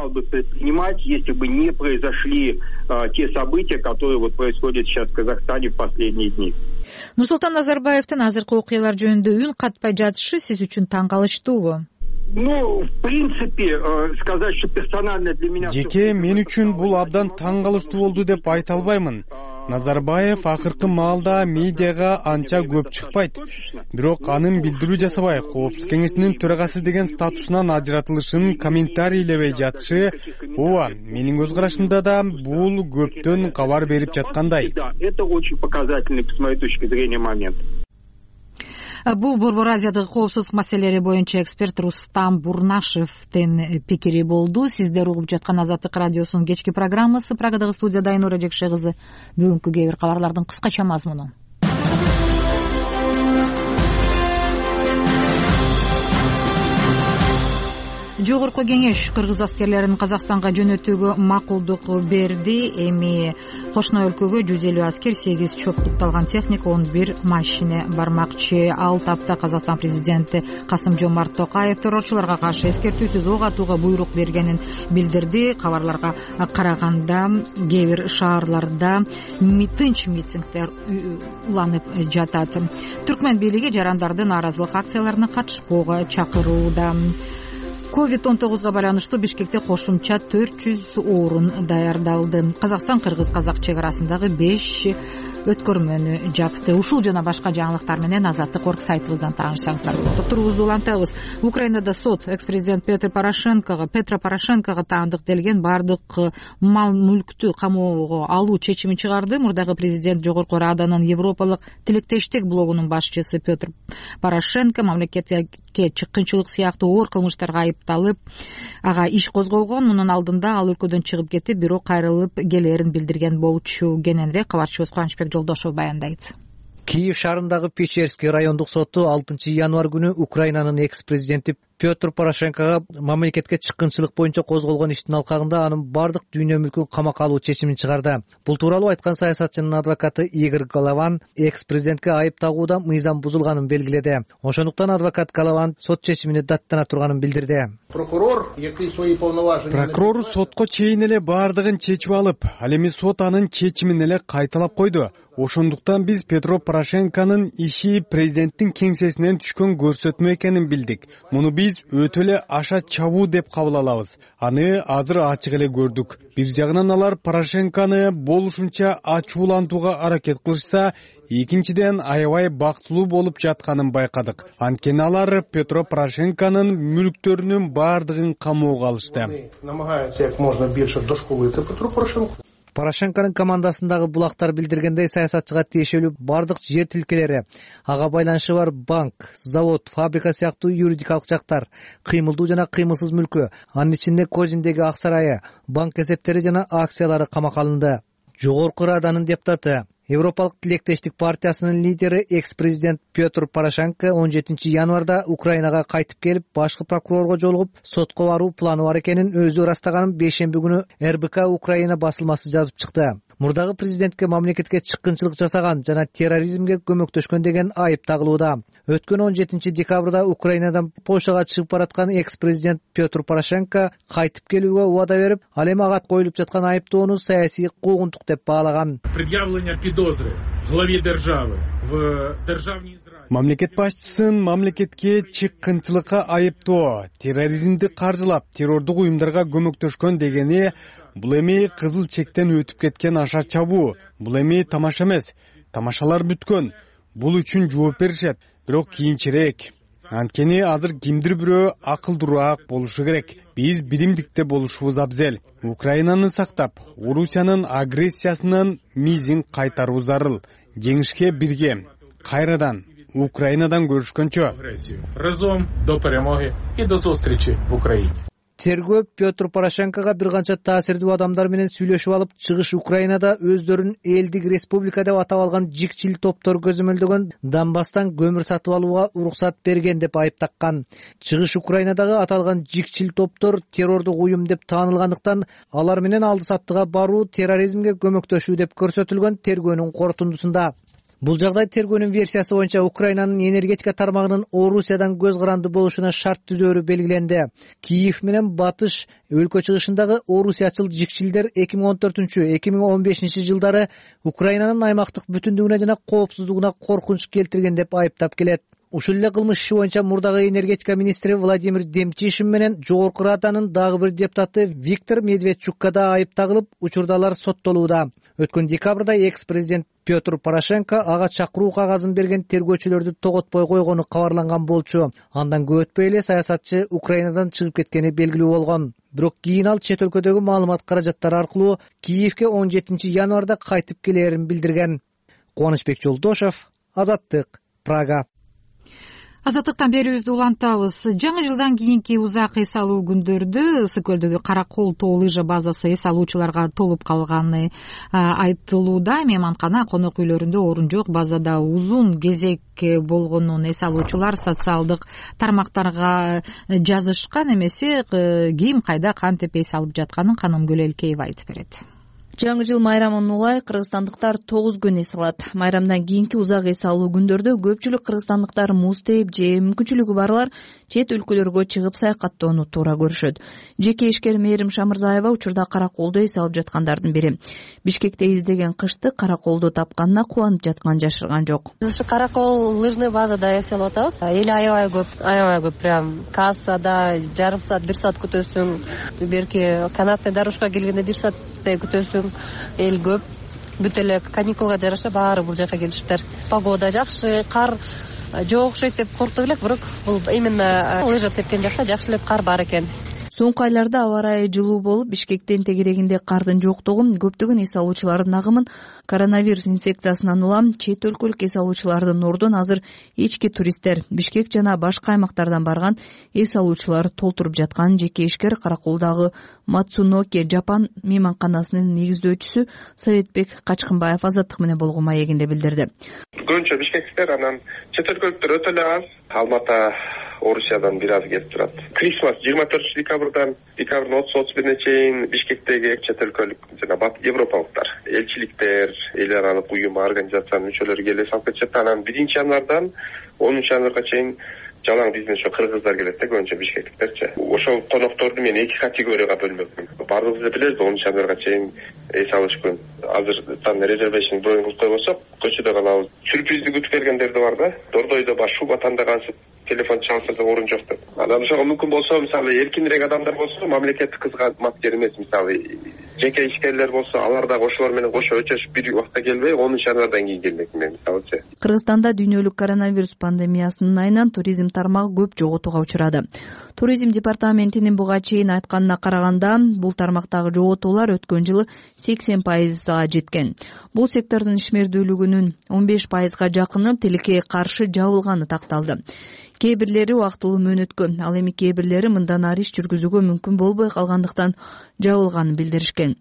Если бы не произошли те события, которые вот происходят сейчас в Казахстане в последние дни. Нурсултан Назарбаевдин азыркы окуялар жөнүндө үн катпай жатышы сиз үчүн таң калыштуубу? Ну, в принципе, сказать, что персонально для меня... Жеке мен үчүн бул абдан таң калыштуу болду деп айта албаймын. Назарбаев акыркы маалда медиага анча көп чыкпайт. Бирок анын билдирүү жасабай, Коопсуздук кеңешинин төрагасы деген статусунан ажыратылышын комментарийлебей жатышы, ооба, менин көз карашымда да бул көптөн кабар берип жаткандай. Да, это очень показательный, с моей точки зрения, момент. Бул Борбор Азиядагы коопсуздук маселелери боюнча эксперт Рустам Бурнашевдин пикири болду. Сиздер угуп жаткан Азаттык радиосунун кечки программасы. Прагадагы студияда Айнура Жекше кызы. Бүгүнкү кээ бир кабарлардын кыскача мазмуну. Жогорку кеңеш кыргыз аскерлерин Казакстанга жөнөтүүгө макулдук берди. Эми кошуна өлкөгө жүз элүү аскер, сегиз чоптукталган техника, он бир машина бармакчы. Ал тапта Казакстан президенти Касым Жомарт Токаев террорчуларга каршы эскертүүсүз ок атууга буйрук бергенин билдирди. Кабарларга караганда кээ бир шаарларда тынч митингдер уланып жатат. Түркмөн бийлиги жарандардын нааразылык акцияларына катышпоого чакырууда. ковид он тогузга байланыштуу Бишкекте кошумча төрт жүз орун даярдалды. Казакстан кыргыз-казак чек арасындагы беш өткөрмөнү жапты. Ушул жана башка жаңылыктар менен Азаттык орг сайтыбыздан таанышсаңыздар болот. Докторубузду улантабыз. Украинада сот экс-президент Петр Порошенкого Петро Порошенкого таандыктелген бардык мал мүлктү камоого алуу чечимин чыгарды. Мурдагы президент Жогорку Раданын Европалык тилектештик блогунун башчысы Петр Порошенко мамлекетке чыккынчылык сыяктуу оор кылмыштарга айыпталып, ага иш козголгон. Мунун алдында ал өлкөдөн чыгып кетип, бирок кайрылып келерин билдирген болчу. Кененирээк кабарчыбыз Кубанычбек Жолдошов баяндайт. Киев шаарындагы Печерский райондук соту алтынчы январь күнү Украинанын экс-президенти Петр Порошенкого мамлекетке чыккынчылык боюнча козголгон иштин алкагында анын бардык дүйнө мүлкүн камакка алуу чечимин чыгарды. Бул тууралуу айткан саясатчынын адвокаты Игорь Голован экс-президентке айып тагууда мыйзам бузулганын белгиледи. Ошондуктан адвокат Голован сот чечимине даттана турганын билдирди. Прокурор Прокурор сотко чейин эле бардыгын чечип алып, ал эми сот анын чечимин эле кайталап койду. Ошондуктан биз Петро Порошенконун иши президенттин кеңсесинен түшкөн көрсөтмө экенин билдик. Муну биз өтө эле аша чабуу деп кабыл алабыз. Аны азыр ачык эле көрдүк. Бир жагынан алар Порошенкону болушунча ачуулантууга аракет кылышса, экинчиден аябай бактылуу болуп жатканын байкадык. Анткени алар Петро Порошенконун мүлктөрүнүн бардыгын камоого алышты. Порошенконун командасындагы булактар билдиргендей, саясатчыга тиешелүү бардык жер тилкелери, ага байланышы бар банк, завод, фабрика сыяктуу юридикалык жактар, кыймылдуу жана кыймылсыз мүлкү, анын ичинде Козиндеги ак сарайы, банк эсептери жана акциялары камакка алынды. Жогорку Раданын депутаты, Европалык тилектештик партиясынын лидери экс-президент Петр Порошенко он жетинчи январда Украинага кайтып келип, башкы прокурорго жолугуп, сотко баруу планы бар экенин өзү ырастаганын бейшемби күнү эр бэ ка Украина басылмасы жазып чыкты. Мурдагы президентке мамлекетке чыккынчылык жасаган жана терроризмге көмөктөшкөн деген айып тагылууда. Өткөн он жетинчи декабрда Украинадан Польшага чыгып бараткан экс-президент Петр Порошенко кайтып келүүгө убада берип, ал эми ага коюлуп жаткан айыптоону саясий куугунтук деп баалаган. Мамлекет башчысын мамлекетке чыккынчылыкка айыптоо, терроризмди каржылап, террордук уюмдарга көмөктөшкөн дегени бул эми кызыл чектен өтүп кеткен аша чабуу. Бул эми тамаша эмес. Тамашалар бүткөн. Бул үчүн жооп беришет, бирок кийинчерээк. Анткени азыр кимдир бирөө акылдуураак болушу керек. Биз биримдикте болушубуз абзел. Украинаны сактап, Орусиянын агрессиясынын мизин кайтаруу зарыл. Жеңишке бирге. Кайрадан Украинадан көрүшкөнчө. Разом до перемоги и до зустричи в Украине. Тергөө Петр Порошенкого бир канча таасирдүү адамдар менен сүйлөшүп алып, чыгыш Украинада өздөрүн элдик республика деп атап алган жикчил топтор көзөмөлдөгөн Донбасстан көмүр сатып алууга уруксат берген деп айыптаккан. Чыгыш Украинадагы аталган жикчил топтор террордук уюм деп таанылгандыктан алар менен алды саттыга баруу терроризмге көмөктөшүү деп көрсөтүлгөн тергөөнүн корутундусунда. Бул жагдай тергөөнүн версиясы боюнча Украинанын энергетика тармагынын Орусиядан көз каранды болушуна шарт түзөөрү белгиленди. Киев менен батыш өлкө чыгышындагы Орусиячыл жикчилдер эки миң он төртүнчү — эки миң он бешинчи жылдары Украинанын аймактык бүтүндүгүнө жана коопсуздугуна коркунуч келтирген деп айыптап келет. Ушул эле кылмыш иши боюнча мурдагы энергетика министри Владимир Демчишин менен Жогорку Раданын дагы бир депутаты Виктор Медведчукка да айып тагылып, учурдалар соттолууда. Өткөн декабрда экс-президент Петр Порошенко ага чакыруу кагазын берген тергөөчүлөрдү тоготпой койгону кабарланган болчу. Андан көп өтпөй эле саясатчы Украинадан чыгып кеткени белгилүү болгон. Бирок кийин ал чет өлкөдөгү маалымат каражаттары аркылуу Киевке он жетинчи январда кайтып келерин билдирген. Кубанычбек Жолдошов, Азаттык, Прага. Азаттыктан берүүбүздү улантабыз. Жаңы жылдан кийинки узак эс алуу күндөрдө Ысык көлдөгү Кара Кол тоо лыжа базасы эс алуучуларга толуп калганы айтылууда. Мейманкана, конок үйлөрүндө орун жок. Базада узун кезек болгонун эс алуучулар социалдык тармактарга жазышкан. Эмесе ким кайда кантип эс алып жатканын Канымгүл Элкеева айтып берет. Жаңы жыл майрамын улай кыргызстандыктар тогуз күн эс алат. Майрамдан кийинки узак эс алуу күндөрдө көпчүлүк кыргызстандыктар муз тээп же мүмкүнчүлүгү барлар чет өлкөлөргө чыгып саякаттоону туура көрүшөт. Жеке ишкер Мээрим Шамырзаева учурда Кара Колдо эс алып жаткандардын бири. Бишкекте издеген кышты Кара Колдо тапканына кубанып жатканын жашырган жок. Ушу Кара Кол лыжный базада эс алып атабыз. Эл аябай көп, аябай көп, прям кассада жарым саат, бир саат күтөсүң. Берки канатный дорожка келгенде бир сааттай күтөсүң. Эл көп, бүт эле каникулга жараша баары бул жака келишиптер. Погода жакшы, кар жок окшойт деп корктук элек, бирок бул именно лыжа тепкен жакта жакшы эле кар бар экен. Соңку айларда аба ырайы жылуу болуп, Бишкектин тегерегинде кардын жоктугу көптөгөн эс алуучулардын агымын коронавирус инфекциясынан улам чет өлкөлүк эс алуучулардын ордун азыр ички туристтер, Бишкек жана башка аймактардан барган эс алуучулар толтуруп жатканын жеке ишкер Кара Колдогу Матсуноки Жапан мейманканасынын негиздөөчүсү Советбек Качкынбаев Азаттык менен болгон маегинде билдирди. Көбүнчө бишкектер, анан чет өлкөлүктөр өтө эле аз. Алмата, Орусиядан бир аз келип турат. Крисмас жыйырма төртүнчү декабрдан декабрдын отуз отуз бирине чейин Бишкектеги чет өлкөлүк жана бат европалыктар, элчиликтер, эл аралык уюм, организациянын мүчөлөрү келип эс алып кетишет. Анан биринчи январдан онунчу январга чейин жалаң бизнес ошо кыргыздар келет да, көбүнчө бишкектиктерчи. Ошол конокторду мен эки категорияга бөлмөкмүн. Баарыбыз эле билебиз, онунчу январга чейин эс алыш күн. Азыртан резервейшн броюн кылып койбосок, көчөдө калабыз. Сюрпризди күтүп келгендер да бар да. Дордойдо баш шуба тандагансып телефон чалса да орун жок деп. Анан ошого мүмкүн болсо, мисалы эркинирээк адамдар болсо, мамлекеттик кызматкер эмес, мисалы жеке ишкерлер болсо, алар дагы ошолор менен кошо өчөшүп бир убакта келбей, онунчу январдан кийин келмек мен, мисалычы. Кыргызстанда дүйнөлүк коронавирус пандемиясынын айынан туризм тармагы көп жоготууга учурады. Туризм департаментинин буга чейин айтканына караганда, бул тармактагы жоготуулар өткөн жылы сексен пайызга жеткен. Бул сектордун ишмердүүлүгүнүн он беш пайызга жакыны тилекке каршы жабылганы такталды. Кээ бирлери убактылуу мөөнөткө, ал эми кээ бирлери мындан ары иш жүргүзүүгө мүмкүн болбой калгандыктан жабылганын билдиришкен.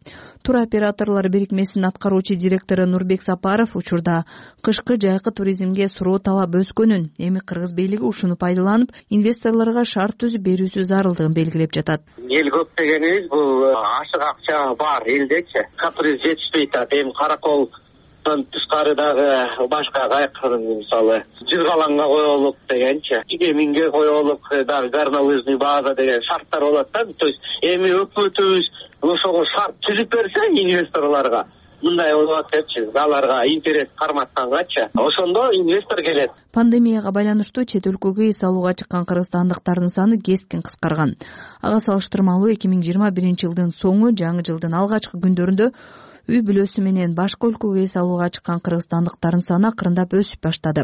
Тур операторлор бирикмесинин аткаруучу директору Нурбек Сапаров учурда кышкы жайкы туризмге суроо талап өскөнүн, эми кыргыз бийлиги ушуну пайдаланып, инвесторлорго шарт түзүп берүүсү зарылдыгын белгилеп жатат. Эл көп дегенибиз бул ашык акча бар элдечи, каприз жетишпей атат. Эми Кара Кол тышкары дагы башка кайкын, мисалы Жыргалаңга коелук дегенчи, Игеминге коелук, дагы горнолыжный база деген шарттар болот да. То есть эми өкмөтүбүз ошого шарт түзүп берсе инвесторлорго, мындай болот депчи, аларга интерес карматкангачы, ошондо инвестор келет. Пандемияга байланыштуу чет өлкөгө эс алууга чыккан кыргызстандыктардын саны кескин кыскарган. Ага салыштырмалуу эки миң жыйырма биринчи жылдын соңу, жаңы жылдын алгачкы күндөрүндө үй бүлөсү менен башка өлкөгө эс алууга чыккан кыргызстандыктардын саны акырындап өсүп баштады.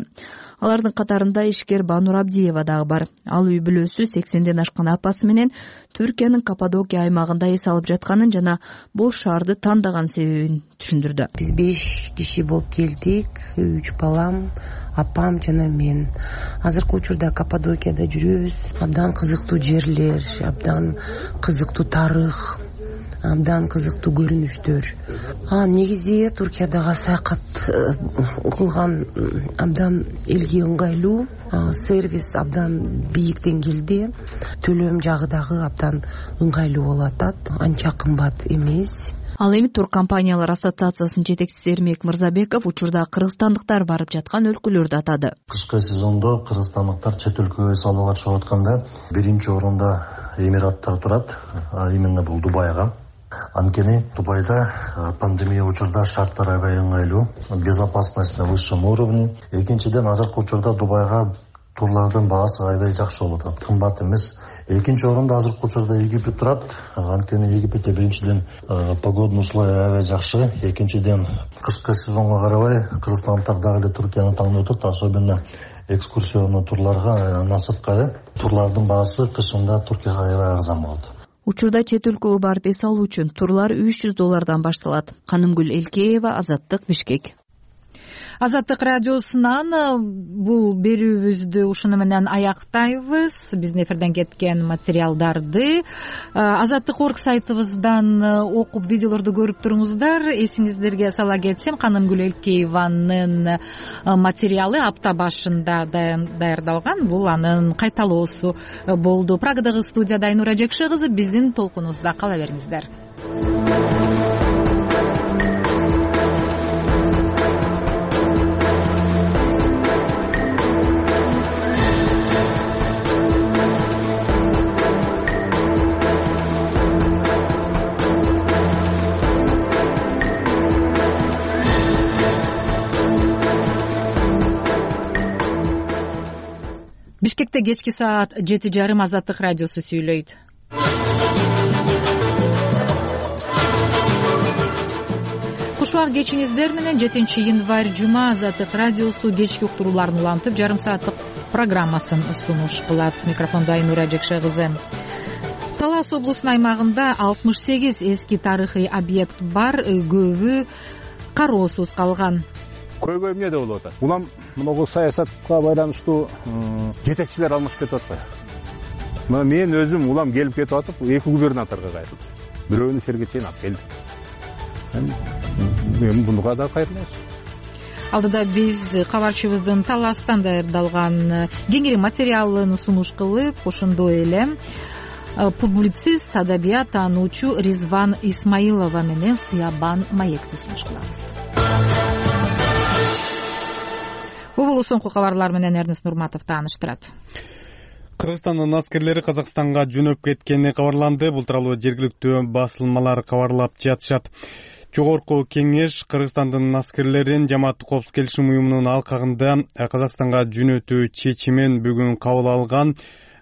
Алардын катарында ишкер Банур Абдиева дагы бар. Ал үй бүлөсү сексенден ашкан апасы менен Түркиянын Каппадокия аймагында эс алып жатканын жана бош шаарды тандаган себебин түшүндүрдү. Биз беш киши болуп келдик, үч балам, апам жана мен. Азыркы учурда Каппадокияда жүрөбүз. Абдан кызыктуу жерлер, абдан кызыктуу тарых, абдан кызыктуу көрүнүштөр. А негизи Туркиядагы саякат кылган абдан элге ыңгайлуу, сервис абдан бийик деңгээлде, төлөм жагы дагы абдан ыңгайлуу болуп атат, анча кымбат эмес. Ал эми тур компаниялар ассоциациясынын жетекчиси Эрмек Мырзабеков учурда кыргызстандыктар барып жаткан өлкөлөрдү атады. Кышкы сезондо кыргызстандыктар чет өлкөгө эс алууга чыгып атканда биринчи орунда Эмираттар турат, а именно бул Дубайга. Анткени Дубайда пандемия учурда шарттар аябай ыңгайлуу, безопасность на высшем уровне. Экинчиден, азыркы учурда Дубайга турлардын баасы аябай жакшы болуп атат, кымбат эмес. Экинчи орунда азыркы учурда Египет турат. Анткени Египетте биринчиден погодный условия аябай жакшы, экинчиден кышкы сезонго карабай кыргызстандыктар дагы эле Туркияны таңдап атат, особенно экскурсионный турларга, насырткы турлардын баасы кышында Туркияга аябай арзан болот. Учурда чет өлкөгө барып эс алуу үчүн турлар үч жүз доллардан башталат. Канымгүл Элкеева, Азаттык, Бишкек. Азаттык радиосунан бул берүүбүздү ушуну менен аяктайбыз. Биздин эфирден кеткен материалдарды азаттык орг сайтыбыздан окуп, видеолорду көрүп туруңуздар. Эсиңиздерге сала кетсем, Канымгүл Элкееванын материалы апта башында даярдалган. Бул анын кайталоосу болду. Прагадагы студияда Айнура Жекше кызы, биздин толкунубузда кала бериңиздер. Бишкекте кечки саат жети жарым Азаттык радиосу сүйлөйт. Кушубак кечиңиздер менен жетинчи январь жума Азаттык радиосу кечки уктурууларын улантып, жарым сааттык программасын сунуш кылат. Микрофондо Айнура Жекше кызы. Талас облусунун аймагында алтымыш сегиз эски тарыхый объект бар, көбү кароосуз калган. Көйгөй эмне деп болуп атат? Улам могу саясатка байланыштуу жетекчилер алмашып кетип атпайбы? Мына мен өзүм улам келип кетип атып, эки губернаторго кайрылдым. Бирөөнү Сергей чейин алып келдик. Мен буга да кайрылабыз. Алдыда биз кабарчыбыздын Таластан даярдалган кеңири материалын сунуш кылып, ошондой эле публицист, адабият таануучу Ризван Исмаилова менен Сыябан маекти сунуш кылабыз. Бул болсо соңку кабарлар менен Эрнест Нурматов тааныштырат. Кыргызстандын аскерлери Казакстанга жөнөп кеткени кабарланды. Бул тууралуу жергиликтүү басылмалар кабарлап жатышат. Жогорку кеңеш Кыргызстандын аскерлерин Жамааттык коопсуздук келишим уюмунун алкагында Казакстанга жөнөтүү чечимин бүгүн кабыл алган.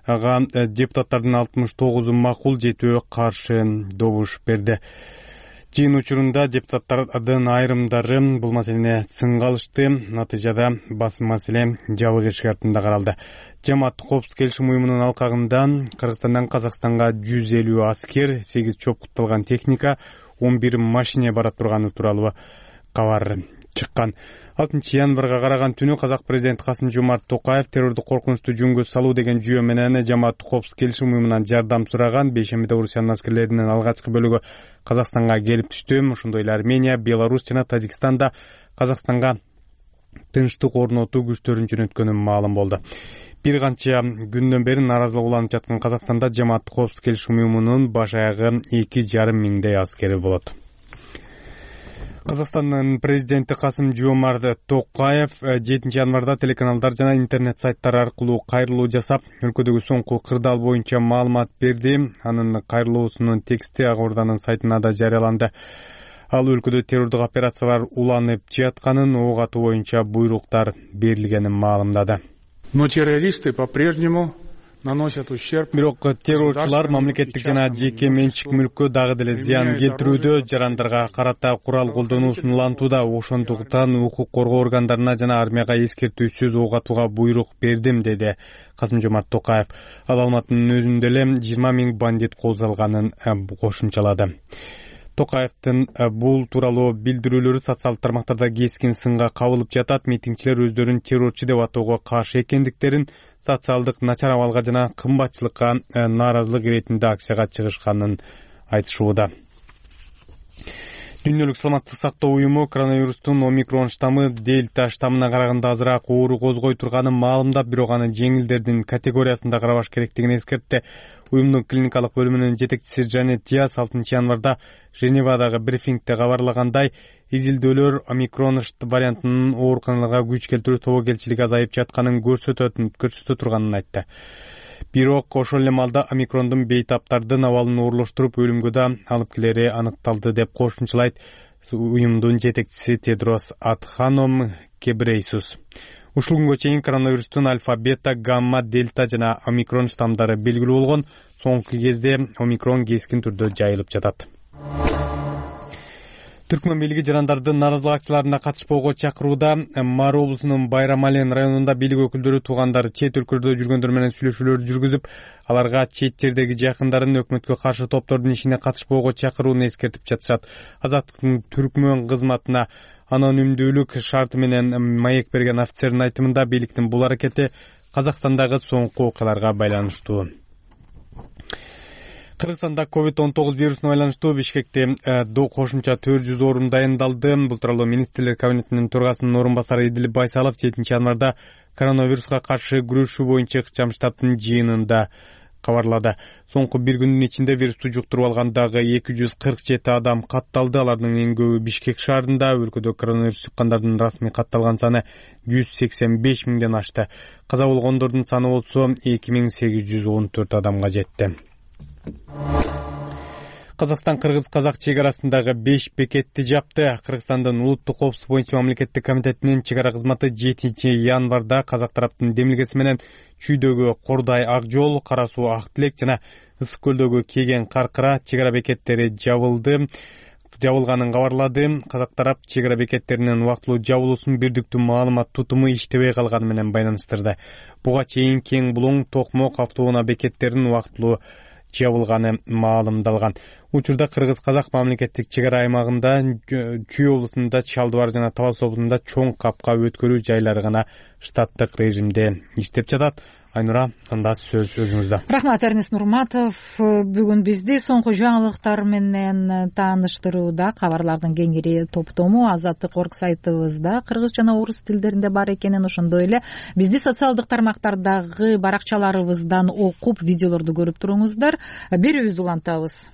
Ага депутаттардын алтымыш тогузу макул, жетөө каршы добуш берди. Жыйын учурунда депутаттардын айрымдары бул маселени сынга алышты. Натыйжада басым маселе жабык эшик артында каралды. Жамааттык коопсуздук келишим уюмунун алкагында Кыргызстандан Казакстанга жүз элүү аскер, сегиз чопкутталган техника, он бир машине бара турганы тууралуу кабар чыккан. алтынчы январга караган түнү Казак президенти Касым-Жомарт Токаев террордук коркунучту жөнгө салуу деген жүйө менен Жамааттык коопсуздук келишим уюмунан жардам сураган. Бейшембиде Орусиянын аскерлеринин алгачкы бөлүгү Казакстанга келип түштү. Ошондой эле Армения, Беларусь жана Тажикстанда Казакстанга тынчтык орнотуу күчтөрүн жөнөткөнү маалым болду. Бир канча күндөн бери нааразылык уланып жаткан Казакстанда Жамааттык коопсуздук келишим уюмунун баш аягы эки жарым миңдей аскери болот. Казакстандын президенти Касым-Жомарт Токаев жетинчи январда телеканалдар жана интернет сайттар аркылуу кайрылуу жасап, өлкөдөгү соңку кырдаал боюнча маалымат берди. Анын кайрылуусунун тексти Акорданын сайтына да жарыяланды. Ал өлкөдө террордук операциялар уланып жатканын, ок атуу боюнча буйруктар берилгенин маалымдады. Но террористы по-прежнему наносят ущерб. Бирок террорчулар мамлекеттик жана жеке менчик мүлккө дагы деле зыян келтирүүдө, жарандарга карата курал колдонуусун улантууда. Ошондуктан укук коргоо органдарына жана армияга эскертүүсүз ок атууга буйрук бердим, деди Касым-Жомарт Токаев. Ал Алматынын өзүндө эле жыйырма миң бандит кол салганын кошумчалады. Токаевдин бул тууралуу билдирүүлөрү социалдык тармактарда кескин сынга кабылып жатат. Митингчилер өздөрүн террорчу деп атоого каршы экендиктерин, социалдык начар абалга жана кымбатчылыкка нааразылык иретинде акцияга чыгышканын айтышууда. Дүйнөлүк саламаттык сактоо уюму коронавирустун омикрон штаммы дельта штаммына караганда азыраак оору козгой турганын маалымдап, бирок аны жеңилдердин категориясында карабаш керектигин эскертти. Уюмдун клиникалык бөлүмүнүн жетекчиси Жанет Диас алтынчы январда Женевадагы брифингде кабарлагандай, изилдөөлөр омикрон вариантынын ооруканаларга күч келтирүү тобокелчилиги азайып жатканын көрсөтө турганын айтты. Бирок ошол эле маалда омикрондун бейтаптардын абалын оорлоштуруп, өлүмгө да алып келери аныкталды деп кошумчалайт уюмдун жетекчиси Тедрос Адханом Гебрейсус. Ушул күнгө чейин коронавирустун альфа, бета, гамма, дельта жана омикрон штамдары белгилүү болгон. Соңку кезде омикрон кескин түрдө жайылып жатат. Түркмөн бийлиги жарандардын нааразылык акцияларына катышпоого чакырууда. Мары облусунун Байрамален районунда бийлик өкүлдөрү туугандары чет өлкөлөрдө жүргөндөр менен сүйлөшүүлөр жүргүзүп, аларга чет жердеги жакындарын өкмөткө каршы топтордун ишине катышпоого чакырууну эскертип жатышат. Азаттыктын Түркмөн кызматына анонимдүүлүк шарты менен маек берген офицердин айтымында бийликтин бул аракети Казакстандагы соңку окуяларга байланыштуу. Кыргызстанда ковид он тогуз вирусуна байланыштуу Бишкекте кошумча төрт жүз орун дайындалды. Бул тууралуу министрлер кабинетинин төрагасынын орун басары Идилип Байсалов жетинчи январда коронавируска каршы күрөшүү боюнча ыкчам штабтын жыйынында кабарлады. Соңку бир күндүн ичинде вирусту жуктуруп алгандагы эки жүз кырк жети адам катталды. Алардын эң көбү Бишкек шаарында. Өлкөдө коронавирус жуккандардын расмий катталган саны жүз сексен беш миңден ашты. Каза болгондордун саны болсо эки миң сегиз жүз он төрт адамга жетти. Казакстан кыргыз-казак чек арасындагы беш бекетти жапты. Кыргызстандын улуттук коопсуздук боюнча мамлекеттик комитетинин чек ара кызматы жетинчи январда казак тараптын демилгеси менен Чүйдөгү Кордай Ак жол, Кара суу Ак Тилек жана Ысык көлдөгү Кеген Каркыра чек ара бекеттери жабылды. Жабылганын кабарлады. Казак тарап чек ара бекеттеринин убактылуу жабылуусун бирдиктүү маалымат тутуму иштебей калганы менен байланыштырды. Буга чейин Кең Булуң, Токмок автоунаа бекеттеринин убактылуу жабылганы маалымдалган. Учурда кыргыз-казак мамлекеттик чек ара аймагында Чүй облусунда, Чалдыбар жана Талас облусунда чоң капка өткөрүү жайлары гана штаттык режимде иштеп жатат. Айнура, анда сөз өзүңүздө. Рахмат, Эрнест Нурматов. Бүгүн бизди соңку жаңылыктар менен тааныштырууда кабарлардын кеңири топтому Азаттык орг сайтыбызда кыргыз жана орус тилдеринде бар экенин, ошондой эле бизди социалдык тармактардагы баракчаларыбыздан окуп, видеолорду көрүп туруңуздар. Берүүбүздү улантабыз.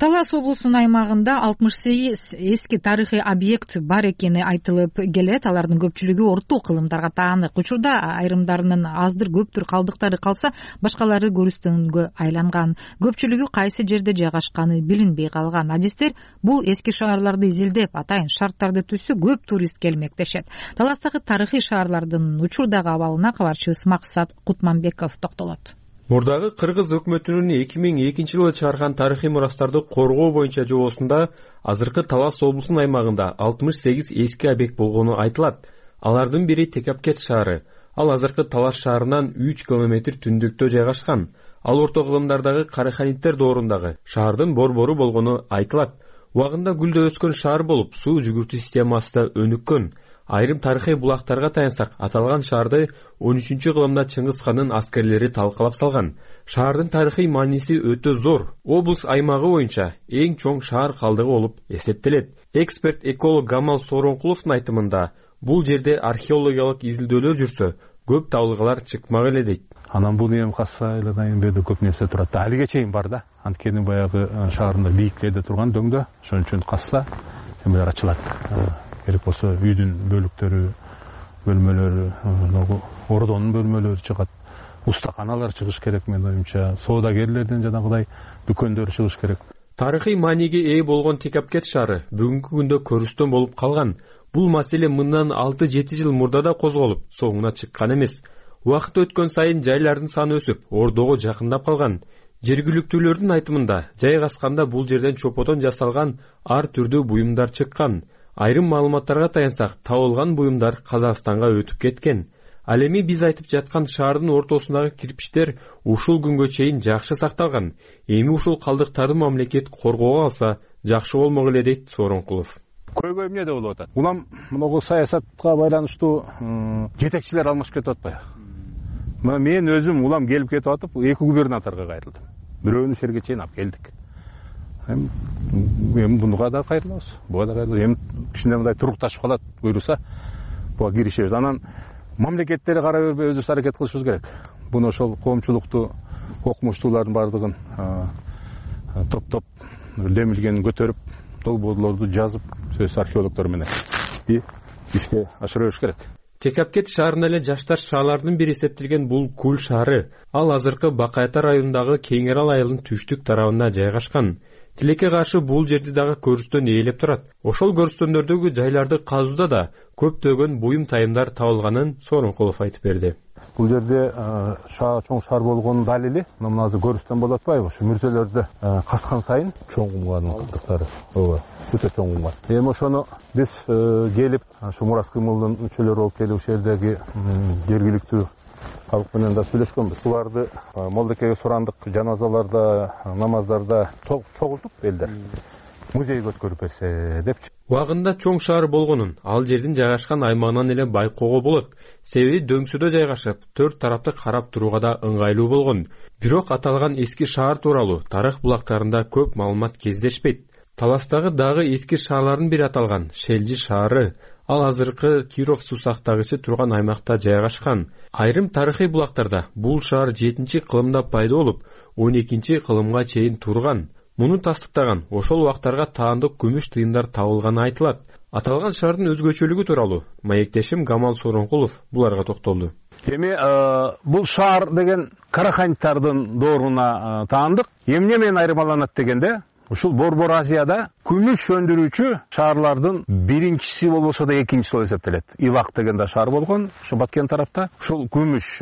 Талас облусунун аймагында алтымыш сегиз эски тарыхый объект бар экени айтылып келет. Алардын көпчүлүгү орто кылымдарга таанык. Учурда айрымдарынын аздыр көптүр калдыктары калса, башкалары көрүстөнгө айланган. Көпчүлүгү кайсы жерде жайгашканы билинбей калган. Адистер бул эски шаарларды изилдеп, атайын шарттарды түзсө көп турист келмек дешет. Таластагы тарыхый шаарлардын учурдагы абалына кабарчыбыз Максат Кутманбеков токтолот. Мурдагы кыргыз өкмөтүнүн эки миң экинчи жылы чыгарган тарыхый мурастарды коргоо боюнча жобосунда азыркы Талас облусунун аймагында алтымыш сегиз эски объект болгону айтылат. Алардын бири Текапкет шаары. Ал азыркы Талас шаарынан үч километр түндүктө жайгашкан. Ал орто кылымдардагы Караханиттер доорундагы шаардын борбору болгону айтылат. Убагында гүлдө өскөн шаар болуп, суу жүгүртүү системасы да өнүккөн. Айрым тарыхый булактарга таянсак, аталган шаарды он үчүнчү кылымда Чыңгыз хандын аскерлери талкалап салган. Шаардын тарыхый мааниси өтө зор. Облус аймагы боюнча эң чоң шаар калдыгы болуп эсептелет. Эксперт эколог Гамал Соронкуловдун айтымында, бул жерде археологиялык изилдөөлөр жүрсө, көп табылгалар чыкмак эле дейт. Анан бул эми касса айладан берде көп нерсе турат. Алиге чейин бар да. Анткени баягы шаарында бийиклерде турган дөңдө, ошон үчүн касса эмелер ачылат. Керек болсо үйдүн бөлүктөрү, бөлмөлөрү, ордонун бөлмөлөрү чыгат. Устаканалар чыгыш керек менин оюмча. Соодагерлерден жанагыдай дүкөндөр чыгыш керек. Тарыхый мааниге ээ болгон Текапкет шаары бүгүнкү күндө көрүстөн болуп калган. Бул маселе мындан алты жети жыл мурда да козголуп, соңуна чыккан эмес. Убакыт өткөн сайын жайлардын саны өсүп, ордого жакындап калган. Жергиликтүүлөрдүн айтымында, жайгасканда бул жерден чоподон жасалган ар түрдүү буюмдар чыккан. Айрым маалыматтарга таянсак, табылган буюмдар Казакстанга өтүп кеткен. Ал эми биз айтып жаткан шаардын ортосундагы кирпичтер ушул күнгө чейин жакшы сакталган. Эми ушул калдыктарды мамлекет коргоого алса, жакшы болмок эле дейт Соронкулов. Көйгөй эмне деп болуп атат? Улам могу саясатка байланыштуу жетекчилер алмашып кетип атпайбы? Мен өзүм улам келип кетип атып, эки губернаторго кайрылдым. Бирөөнү жерге чейин алып келдик. Эми буга да кайрылабыз. Буга да кайрылабыз. Эми кичине мындай турукташып калат, буйруса, буга киришебиз. Анан мамлекеттери кара бербей өзүбүз аракет кылышыбыз керек. Буну ошол коомчулукту, окумуштуулардын бардыгын топтоп, демилгенин көтөрүп, долбоорлорду жазып, сөз археологдор менен и ишке ашыра бериш керек. Текапкет шаарына эле жаштар шаарлардын бири эсептелген бул Кул шаары. Ал азыркы Бакайта районундагы Кеңерал айылынын түштүк тарабында жайгашкан. Тилекке каршы бул жерди дагы көрүстөн ээлеп турат. Ошол көрүстөндөрдөгү жайларды казууда да көптөгөн буюм тайымдар табылганын Соронкулов айтып берди. Бул жерде чоң шаар болгонун далили, мына азыр көрүстөн болуп атпайбы? Ушу мүрзөлөрдө каскан сайын чоң кумгардын калдыктары. Ооба, өтө чоң кумгар. Эми ошону биз келип, ушу мурас кыймылдын мүчөлөрү болуп келип, ушул жердеги жергиликтүү Халык менен да сүйлөшкөнбүз. Буларды молдекеге сурандык, жаназаларда, намаздарда чогултуп элдер музейге өткөрүп берсе депчи. Убагында чоң шаар болгонун, ал жердин жайгашкан аймагынан эле байкоого болот. Себеби дөңсүдө жайгашып, төрт тарапты карап турууга да ыңгайлуу болгон. Бирок аталган эски шаар тууралуу тарых булактарында көп маалымат кездешпейт. Таластагы дагы эски шаарлардын бири аталган Шелжи шаары, ал азыркы Киров суусактагысы турган аймакта жайгашкан. Айрым тарыхый булактарда бул шаар жетинчи кылымда пайда болуп, он экинчи кылымга чейин турган. Муну тастыктаган ошол убактарга таандык күмүш тыйындар табылганы айтылат. Аталган шаардын өзгөчөлүгү тууралуу маектешим Гамал Сооронкулов буларга токтолду. Эми бул шаар деген караханьтардын дооруна таандык. Эмне менен айырмаланат дегенде, ушул Борбор Азияда күмүш өндүрүүчү шаарлардын биринчиси болбосо да экинчиси болуп эсептелет. Ивак деген да шаар болгон, ошо Баткен тарапта. Ушул күмүш,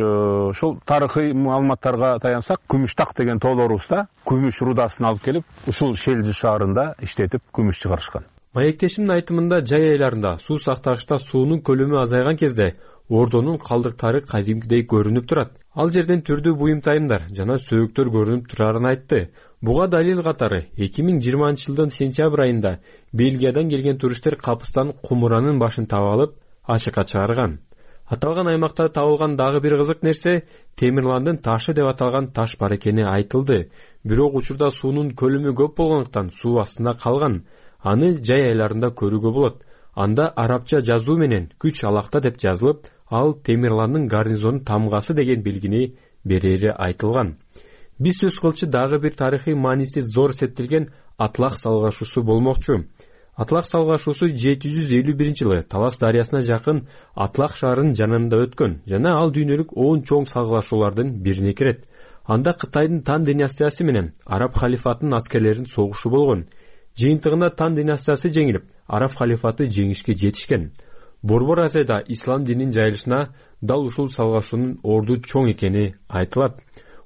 ошол тарыхый маалыматтарга таянсак, Күмүштак деген тоолорубузда күмүш рудасын алып келип, ушул Шелжи шаарында иштетип күмүш чыгарышкан. Маектешимдин айтымында жай айларында суу сактагычта суунун көлөмү азайган кезде ордонун калдыктары кадимкидей көрүнүп турат. Ал жерден түрдүү буюмтайымдар жана сөөктөр көрүнүп турарын айтты. Буга далил катары эки миң жыйырманчы жылдын сентябрь айында Бельгиядан келген туристтер капыстан кумуранын башын таап алып, ачыкка чыгарган. Аталган аймакта табылган дагы бир кызык нерсе Темирландын ташы деп аталган таш бар экени айтылды. Бирок учурда суунун көлөмү көп болгондуктан суу астында калган. Аны жай айларында көрүүгө болот. Анда арабча жазуу менен күч алакта деп жазылып, ал Темирландын гарнизонун тамгасы деген белгини берери айтылган. Биз сөз кылчу дагы бир тарыхый мааниси зор эсептелген Атлах салгашуусу болмокчу. Атлах салгашуусу жети жүз элүү биринчи жылы Талас дарыясына жакын Атлах шаарынын жанында өткөн жана ал дүйнөлүк он чоң салгылашуулардын бирине кирет. Анда Кытайдын Тан династиясы менен Араб халифатынын аскерлеринин согушу болгон. Жыйынтыгында Тан династиясы жеңилип, Араб халифаты жеңишке жетишкен. Борбор Азияда ислам дининин жайылышына дал ушул салгашуунун орду чоң экени айтылат.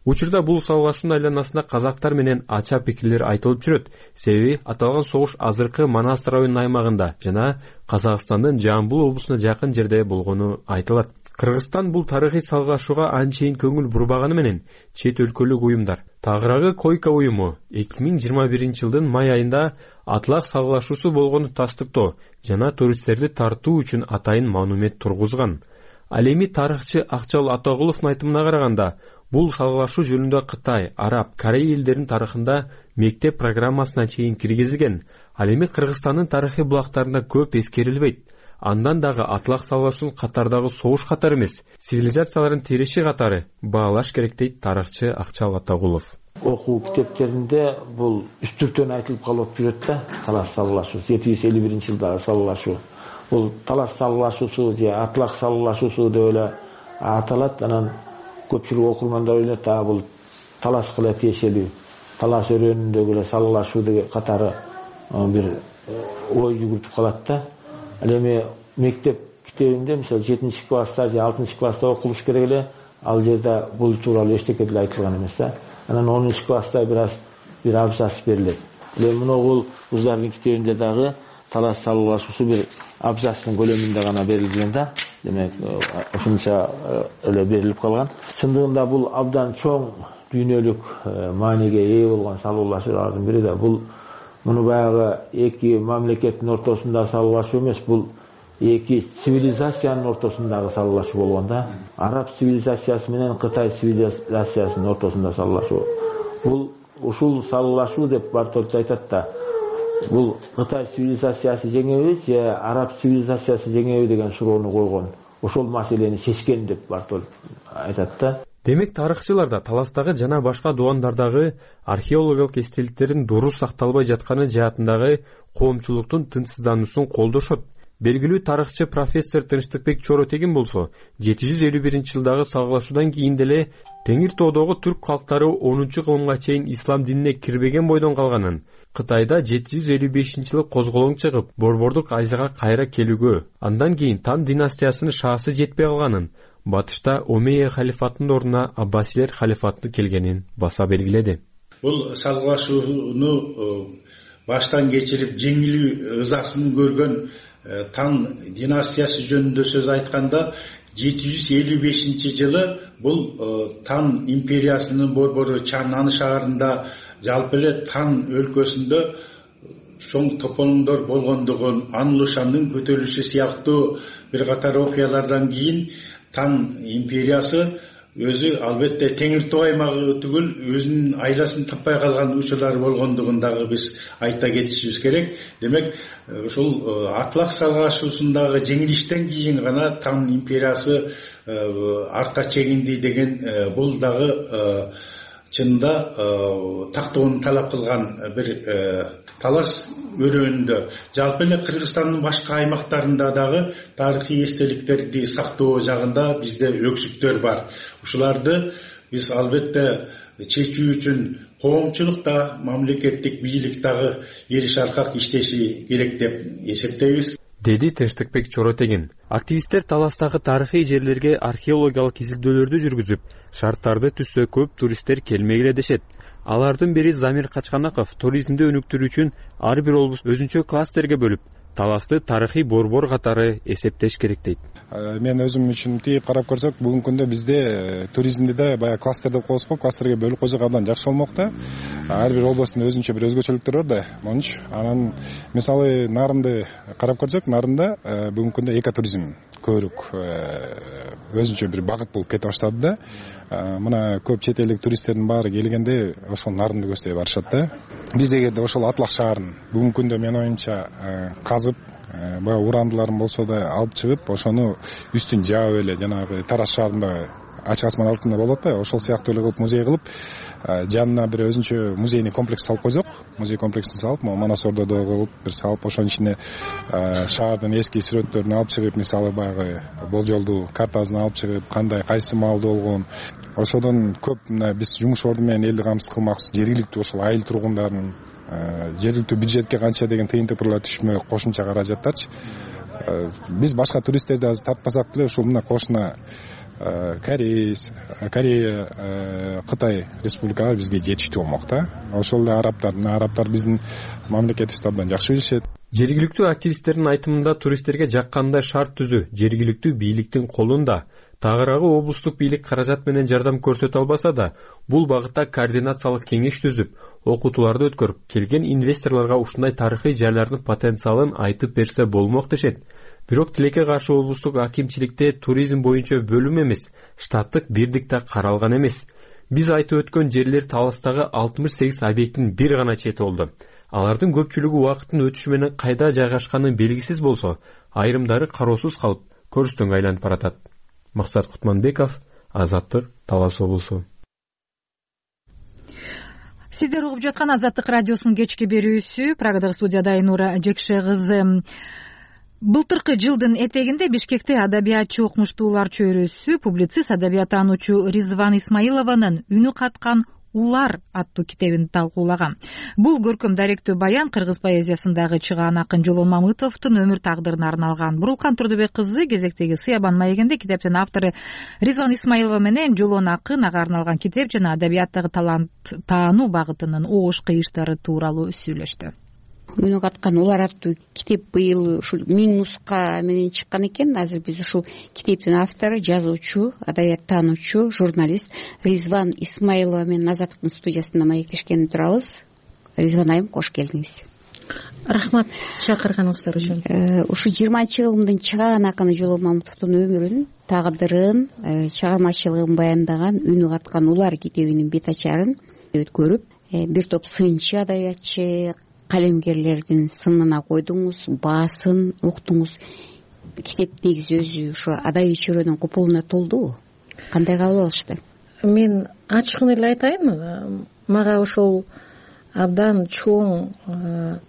Учурда бул салгашуунун айланасында казактар менен ача пикирлер айтылып жүрөт. Себеби аталган согуш азыркы Манас районунун аймагында жана Казакстандын Жамбыл облусуна жакын жерде болгону айтылат. Кыргызстан бул тарыхый салгашууга анчейин көңүл бурбаганы менен чет өлкөлүк уюмдар, тагыраагы Койка уюму эки миң жыйырма биринчи жылдын май айында Атлах салгашуусу болгону тастыктоо жана туристтерди тартуу үчүн атайын монумент тургузган. Ал эми тарыхчы Акчал Атагуловдун айтымына караганда, бул салгылашуу жөнүндө Кытай, Араб, Корей элдеринин тарыхында мектеп программасына чейин киргизилген. Ал эми Кыргызстандын тарыхый булактарында көп эскерилбейт. Андан дагы Атлах салгашуусун катардагы согуш катары эмес, цивилизациялардын тиреши катары баалаш керек дейт тарыхчы Акчал Атагулов. Окуу китептеринде бул үстүртөн айтылып калып жүрөт да, Талас салгылашуусу жети жүз элүү биринчи жылдагы салгылашуу. Бул Талас салгылашуусу же Атлах салгылашуусу деп эле аталат. Анан көпчүлүк окурмандар ойлойт, а бул Таласка эле тиешелүү, Талас өрөөнүндөгү эле салгылашуу деген катары бир ой жүгүртүп калат да. Ал эми мектеп китебинде, мисалы жетинчи класста же алтынчы класста окулуш керек эле, ал жерде бул тууралуу эчтеке деле айтылган эмес да. Анан онунчу класста бир аз бир абзац берилет. Эми мунугул кыздардын китебинде дагы Талас салгылашуусу бир абзацтын көлөмүндө гана берилген да. Демек, ошончо эле берилип калган. Чындыгында бул абдан чоң дүйнөлүк мааниге ээ болгон салгылашуулардын бири да. Бул муну баягы эки мамлекеттин ортосунда салгылашуу эмес, бул эки цивилизациянын ортосундагы салгылашуу болгон да. Араб цивилизациясы менен Кытай цивилизациясынын ортосунда салгылашуу. Бул ушул салгылашуу деп Бартолч айтат да. Бул Кытай цивилизациясы жеңеби же Араб цивилизациясы жеңеби деген суроону койгон. Ошол маселени чечкен деп Бартолч айтат да. Демек тарыхчыларда Таластагы жана башка дубандардагы археологиялык эстеликтердин дурус сакталбай жатканы жаатындагы коомчулуктун тынчсыздануусун колдошот. Белгилүү тарыхчы профессор Тынчтыкбек Чоротегин болсо, жети жүз элүү биринчи жылдагы салгылашуудан кийин деле Теңир тоодогу түрк калктары онунчу кылымга чейин ислам динине кирбеген бойдон калганын, Кытайда жети жүз элүү бешинчи жылы козголоң чыгып, Борбордук Азияга кайра келүүгө, андан кийин Тан династиясынын шаасы жетпей калганын, батышта Омейя халифатынын ордуна Аббасилер халифаты келгенин баса белгиледи. Бул салгылашууну баштан кечирип жеңилүү ызасын көргөн Тан династиясы жөнүндө сөз айтканда, жети жүз элүү бешинчи жылы бул Тан империясынын борбору Чаннан шаарында жалпы эле Тан өлкөсүндө чоң тополоңдор болгондугун, Анлушандын көтөрүлүшү сыяктуу бир катар окуялардан кийин Тан империясы өзү албетте Теңир Тоо аймагы түгүл өзүнүн айласын таппай калган учурлар болгондугун дагы биз айта кетишибиз керек. Демек, ушул Атлак салгашуусундагы жеңилиштен кийин гана Тан империясы артка чегинди деген бул дагы чынында тактоону талап кылган бир талаш өрөөнүндө. Жалпы эле Кыргызстандын башка аймактарында дагы тарыхый эстеликтерди сактоо жагында бизде өксүктөр бар. Ушуларды биз албетте чечүү үчүн коомчулук да, мамлекеттик бийлик дагы эриш аркак иштеши керек деп эсептейбиз, деди Тынчтыкбек Чоротегин. Активисттер таластагы тарыхый жерлерге археологиялык изилдөөлөрдү жүргүзүп, шарттарды түзсө көп туристтер келмегиле дешет. Алардын бири Замир Качканаков туризмди өнүктүрүү үчүн ар бир облус өзүнчө кластерге бөлүп, таласты тарыхый борбор катары эсептеш керек дейт. Мен өзүм үчүн тиеп карап көрсөк, бүгүнкү күндө бизде туризмди да баягы кластер деп коебуз го, кластерге бөлүп койсок абдан жакшы болмок да. Ар бир облустун өзүнчө бир өзгөчөлүктөрү бар да. Монч анан мисалы Нарымды карап көрсөк, Нарымда бүгүнкү күндө экотуризм көбүрөөк өзүнчө бир багыт болуп кете баштады да. Мына көп чет элдик туристтердин баары келгенде ошол Нарымды көздөй барышат да. Биз эгерде ошол Атлак шаарын бүгүнкү күндө мен оюмча казып, баягы урандыларын болсо да алып чыгып, ошону үстүн жаап эле жанагы Тараз шаарында ачык асман алтында болот да, ошол сыяктуу эле кылып музей кылып, жанына бир өзүнчө музейный комплекс салып койсок, музей комплексин салып, Манас Ордодо кылып бир салып, ошонун ичине шаардын эски сүрөттөрүн алып чыгып, мисалы баягы болжолдуу картасын алып чыгып, кандай кайсы маалда болгон, ошодон көп мына биз жумуш орду менен элди камсыз кылмакчыбыз, жергиликтүү ошол айыл тургундарын жергиликтүү бюджетке канча деген тыйын тыпырлар түшмөй кошумча каражаттарчы. Биз башка туристтерди азыр тартпасак деле ушул мына кошуна Корея, Корея, Кытай республикалары бизге жетиштүү болмок да. Ошол эле арабтар, арабтар биздин мамлекетибизди абдан жакшы билишет. Жергиликтүү активисттердин айтымында туристтерге жаккандай шарт түзүү жергиликтүү бийликтин колунда. Тагыраагы облустук бийлик каражат менен жардам көрсөтө албаса да, бул багытта координациялык кеңеш түзүп, окутууларды өткөрүп, келген инвесторлорго ушундай тарыхый жайлардын потенциалын айтып берсе болмок дешет. Бирок тилекке каршы облустук акимчиликте туризм боюнча бөлүм эмес, штаттык бирдик да каралган эмес. Биз айтып өткөн жерлер таластагы алтымыш сегиз объекттин бир гана чети болду. Алардын көпчүлүгү убакыттын өтүшү менен кайда жайгашканы белгисиз болсо, айрымдары кароосуз калып, көрүстөнгө айланып баратат. Максат Кутманбеков, Азаттык, Талас облусу. Сиздер угуп жаткан Азаттык радиосунун кечки берүүсү, Прагадагы студияда Айнура Жекше кызы. Былтыркы жылдын этегинде Бишкекте адабиятчы окумуштуулар чөйрөсү публицист адабияттануучу Ризван Исмаилованын «Үнү каткан улар» аттуу китебин талкуулаган. Бул көркөм даректүү баян кыргыз поэзиясындагы чыгаан акын Жолон Мамытовдун өмүр тагдырына арналган. Бурулкан Турдубек кызы кезектеги Сыябан маегинде китептин автору Ризван Исмаилова менен Жолон акын ага арналган китеп жана адабияттагы талант таануу багытынын оош кыйыштары тууралуу сүйлөштү. «Үнү каткан улар» аттуу китеп быйыл ушул миң нуска менен чыккан экен. Азыр биз ушул китептин автору, жазуучу, адабияттануучу, журналист Ризван Исмаилова менен Азаттыктын студиясында маектешкени турабыз. Ризван айым, кош келдиңиз. Рахмат чакырганыңыздар үчүн. Ушу жыйырманчы жылымдын чыгаан акыны Жолон Мамытовдун өмүрүн, тагдырын, чыгармачылыгын баяндаган «Үнү каткан улар» китебинин бет ачарын өткөрүп, бир топ сынчы адабиятчы, калемгерлердин сынына койдуңуз, баасын уктуңуз. Китеп негизи өзү ушу адабий чөйрөнүн купулуна толдубу? Кандай кабыл алышты? Мен ачыгын эле айтайын, мага ошол абдан чоң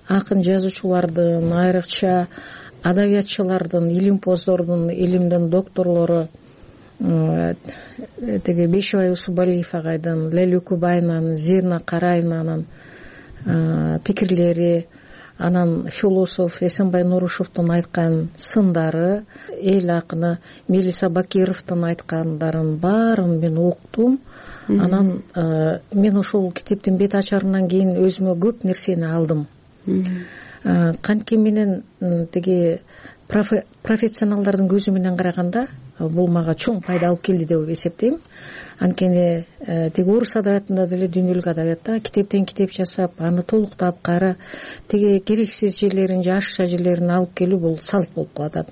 акын жазуучулардын, айрыкча адабиятчылардын, илимпоздордун, илимдин докторлору теги Бешибай Усубалиев агайдын, Лелюкү Байнанын, Зирна Карайнанын пикирлери, анан философ Эсенбай Нурушевдун айткан сындары, эл акыны Мелиса Бакировдун айткандарын баарын мен уктум. Анан мен ошол китептин бет ачарынан кийин өзүмө көп нерсени алдым. Кантке менен тиги профессионалдардын көзү менен караганда бул мага чоң пайда алып келди деп эсептейм. Анткени тиги орус адабиятында деле дүйнөлүк адабиятта китептен китеп жасап, аны толуктап кайра тиги керексиз жерлерин же ашша жерлерин алып келүү бул салт болуп калат.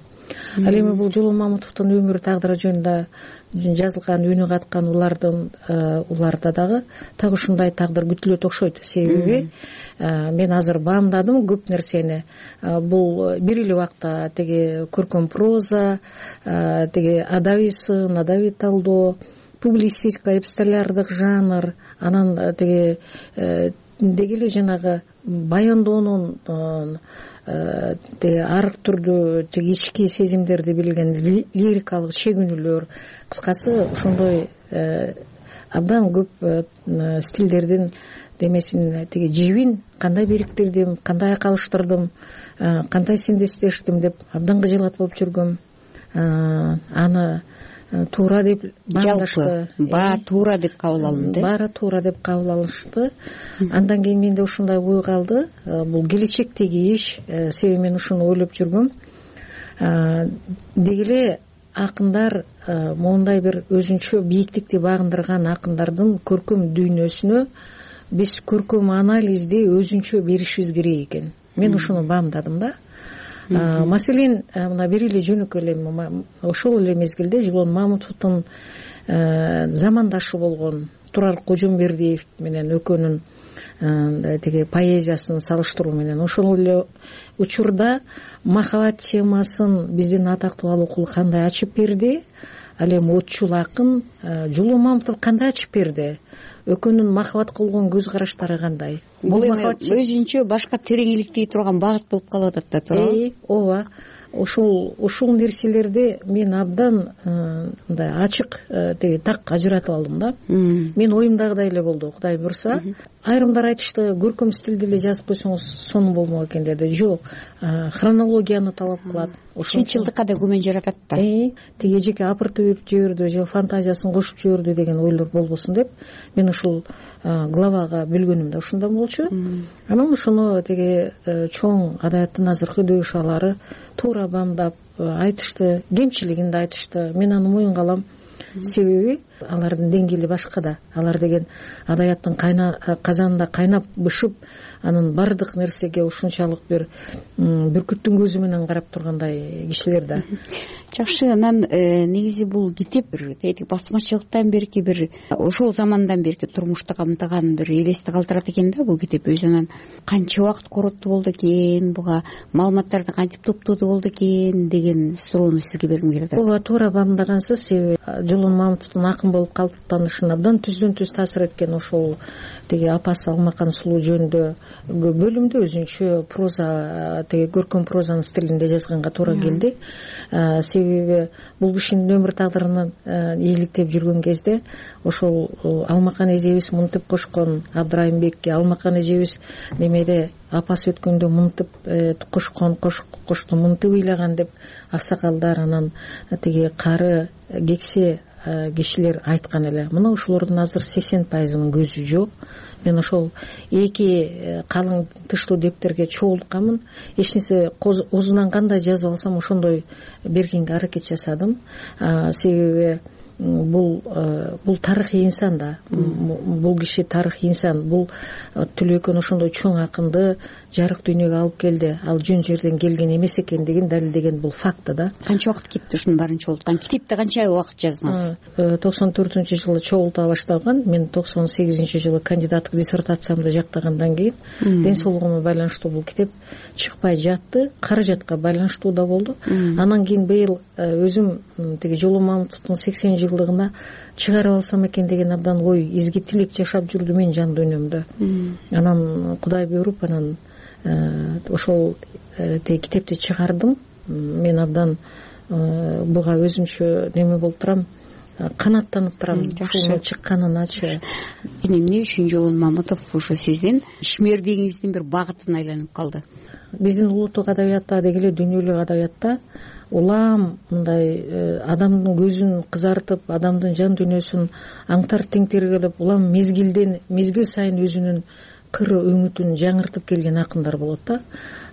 Ал эми бул Жолон Мамутовдун өмүрү тагдыры жөнүндө жазылган, үнү каткан улардын уларда дагы так ушундай тагдыр күтүлөт окшойт. Себеби мен азыр баамдадым көп нерсени. Бул бир эле убакта тиги көркөм проза, тиги адабий сын, адабий талдоо, публицистика, эпистолярдык жанр, анан тиги деги эле жанагы баяндоонун тиги ар түрдүү тиги ички сезимдерди билген лирикалык чегүнүүлөр, кыскасы ошондой абдан көп стилдердин демесин тиги жибин кандай бириктирдим, кандай айкалыштырдым, кандай синдестештим деп абдан кыжалат болуп жүргөм. Аны туура деп баамдашты. Баа туура деп кабыл алынды. Баары туура деп кабыл алышты. Андан кийин менде ушундай ой калды. Бул келечектеги иш. Себеби мен ушуну ойлоп жүргөм. Деги эле акындар моундай бир өзүнчө бийиктикти багындырган акындардын көркөм дүйнөсүнө биз көркөм анализди өзүнчө беришибиз керек экен. Мен ушуну баамдадым да. Маселен, мына бир эле жөнөкөй эле ошол эле мезгилде Жолон Мамутовдун замандашы болгон Турар Кожомбердиев менен экөөнүн тиги поэзиясын салыштыруу менен ошол эле учурда махабат темасын биздин атактуу Алыкул кандай ачып берди, ал эми отчул акын Жолон Мамутов кандай ачып берди, экөөнүн махабатка болгон көз караштары кандай. Бул эми өзүнчө башка тереңиликтей турган багыт болуп калып атат да, туурабы? Ооба. Ошол ошол нерселерди мен абдан мындай ачык тиги так ажыратып алдым да. Мен оюмдагыдай эле болду, Кудай буйрса. Айрымдар айтышты, көркөм стилде эле жазып койсоңуз сонун болмок экен деди. Жок, хронологияны талап кылат. Чынчылдыкка да күмөн жаратат да. Тиги эжеке апыртып жиберди же фантазиясын кошуп жиберди деген ойлор болбосун деп мен ушул главага бөлгөнүм да ушундай болчу. Анан ошону тиги чоң адабияттын азыркы дөшалары туура баамдап айтышты, кемчилигин да айтышты. Мен аны моюнга алам. Себеби алардын деңгээли башка да. Алар деген адабияттын кайна казанында кайнап бышып, анын бардык нерсеге ушунчалык бир бүркүттүн көзү менен карап тургандай кишилер да. Жакшы, анан негизи бул китеп бир тетик басмачылыктан берки бир ошол замандан берки турмушту камтыган бир элести калтырат экен да бул китеп. Өзү анан канча убакыт короттуу болду экен, буга маалыматтарды кантип топтоду болду экен деген суроону сизге бергим келет. Ооба, туура баамдагансыз. Себеби Жолон Мамутовдун акын болуп калыптанышын абдан түздөн түз таасир эткен ошол тиги апасы Алмакан сулуу жөнүндө бөлүмдө өзүнчө проза, тиги көркөм прозанын стилинде жазганга туура келди. Себеби бул кишинин өмүр тагдырын ийгиликтеп жүргөн кезде ошол Алмакан эжебиз мынтип кошкон, Абдрайымбекке Алмакан эжебиз немеде апасы өткөндө мынтип кошкон, кошту мынтип ыйлаган деп аксакалдар, анан тиги кары кексе кишилер айткан эле. Мына ошолордун азыр сексен пайызынын көзү жок. Мен ошол эки калың тыштуу дептерге чогултканмын. Эч нерсе озунан кандай жазып алсам ошондой бергенге аракет жасадым. Себеби бул бул тарыхый инсан да. Бул киши тарыхый инсан. Бул Түлөкөн ошондой чоң акынды жарык дүйнөгө алып келди. Ал жөн жерден келген эмес экендигин далилдеген бул факт да. Канча убакыт кетти ушунун баарын чогулткан? Китепти канча убакыт жаздыңыз? токсон төртүнчү жылы чогулта башталган. Мен токсон сегизинчи жылы кандидаттык диссертациямды жактагандан кийин ден соолугума байланыштуу бул китеп чыкпай жатты. Каражатка байланыштуу да болду. Анан кийин быйыл өзүм тиги Жолон Мамутовдун сексен жылдыгына чыгарып алсам экен деген абдан ой, изги тилек жашап жүрдү мен жан дүйнөмдө. Анан Кудай буйруп, анан ошол тиги китепти чыгардым. Мен абдан буга өзүмчө неме болуп турам, канаттанып турам ушунун чыкканыначы. Эмне үчүн Жолон Мамутов ошо сиздин ишмердигиңиздин бир багытына айланып калды? Биздин улуттук адабиятта деги эле дүйнөлүк адабиятта улам мындай адамдын көзүн кызартып, адамдын жан дүйнөсүн аңтар теңтер кылып, улам мезгилден мезгил сайын өзүнүн кыр өңүтүн жаңыртып келген акындар болот да.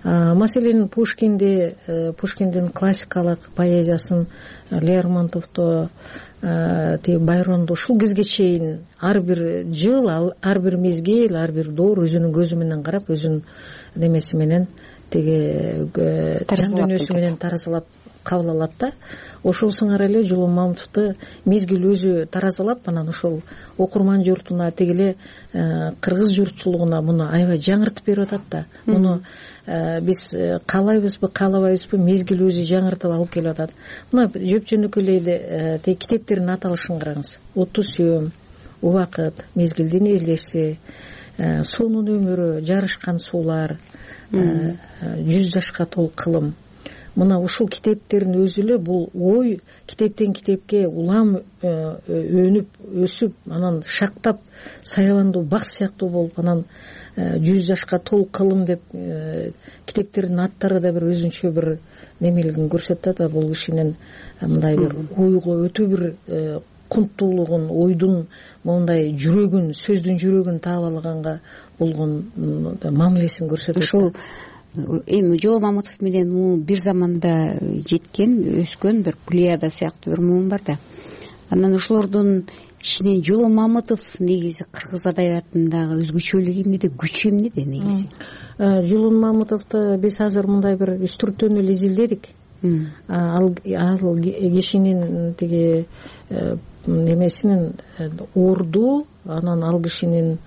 Маселен Пушкинди Пушкиндин классикалык поэзиясын, Лермонтовду, тиги Байронду ушул кезге чейин ар бир жыл, ар бир мезгил, ар бир доор өзүнүн көзү менен карап, өзүнүн немеси менен тиги жан дүйнөсү менен таразалап кабыл алат да. Ошол сыңар эле Жолон Мамытовду мезгил өзү таразалап, анан ошол окурман журтуна, тиги эле кыргыз журтчулугуна муну аябай жаңыртып берип атат да. Муну биз каалайбызбы, каалабайбызбы, мезгил өзү жаңыртып алып келип атат. Мына жөп-жөнөкөй эле тиги китептердин аталышын караңыз. Отту сүйөм, Убакыт, Мезгилдин эзлеси, Суунун өмүрү, Жарышкан суулар, Жүз жашка толук кылым. Мына ушул китептердин өзү эле бул ой китептен китепке улам өнүп, өсүп, анан шактап, саябандуу бак сыяктуу болуп, анан жүз жашка толук кылым деп китептердин аттары да бир өзүнчө бир немелигин көрсөтөт да. Бул кишинин мындай бир ойго өтө бир кунттуулугун, ойдун мондай жүрөгүн, сөздүн жүрөгүн таап алганга болгон мамилесин көрсөтөт. Ошол эми Жолон Мамытов менен бир заманда жеткен, өскөн бир плеяда сыяктуу бир муун бар да. Анан ошолордун ичинен Жолон Мамытов негизи кыргыз адабиятындагы өзгөчөлүгү эмнеде, күчү эмнеде негизи? Жолон Мамытовду биз азыр мындай бир үстүртөн эле изилдедик. Ал кишинин тиги немесинин орду, анан ал кишинин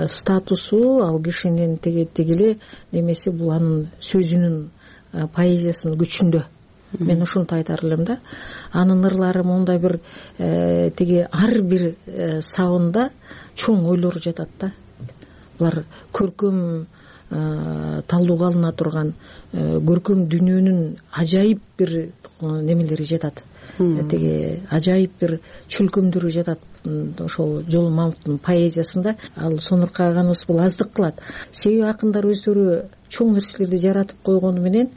статусу, ал кишинин тиги тигиле немеси, бул анын сөзүнүн, поэзиясынын күчүндө. Мен ушунту айтар элем да. Анын ырлары мондай бир тиги ар бир сабында чоң ойлор жатат да. Булар көркөм талдууга алына турган, көркөм дүйнөнүн ажайып бир немелери жатат. Тиги ажайып бир чөлкөмдөрү жатат ошол Жолон Мамытовдун поэзиясында. Ал сонуркай аганыбыз бул аздык кылат. Себеби акындар өздөрү чоң нерселерди жаратып койгону менен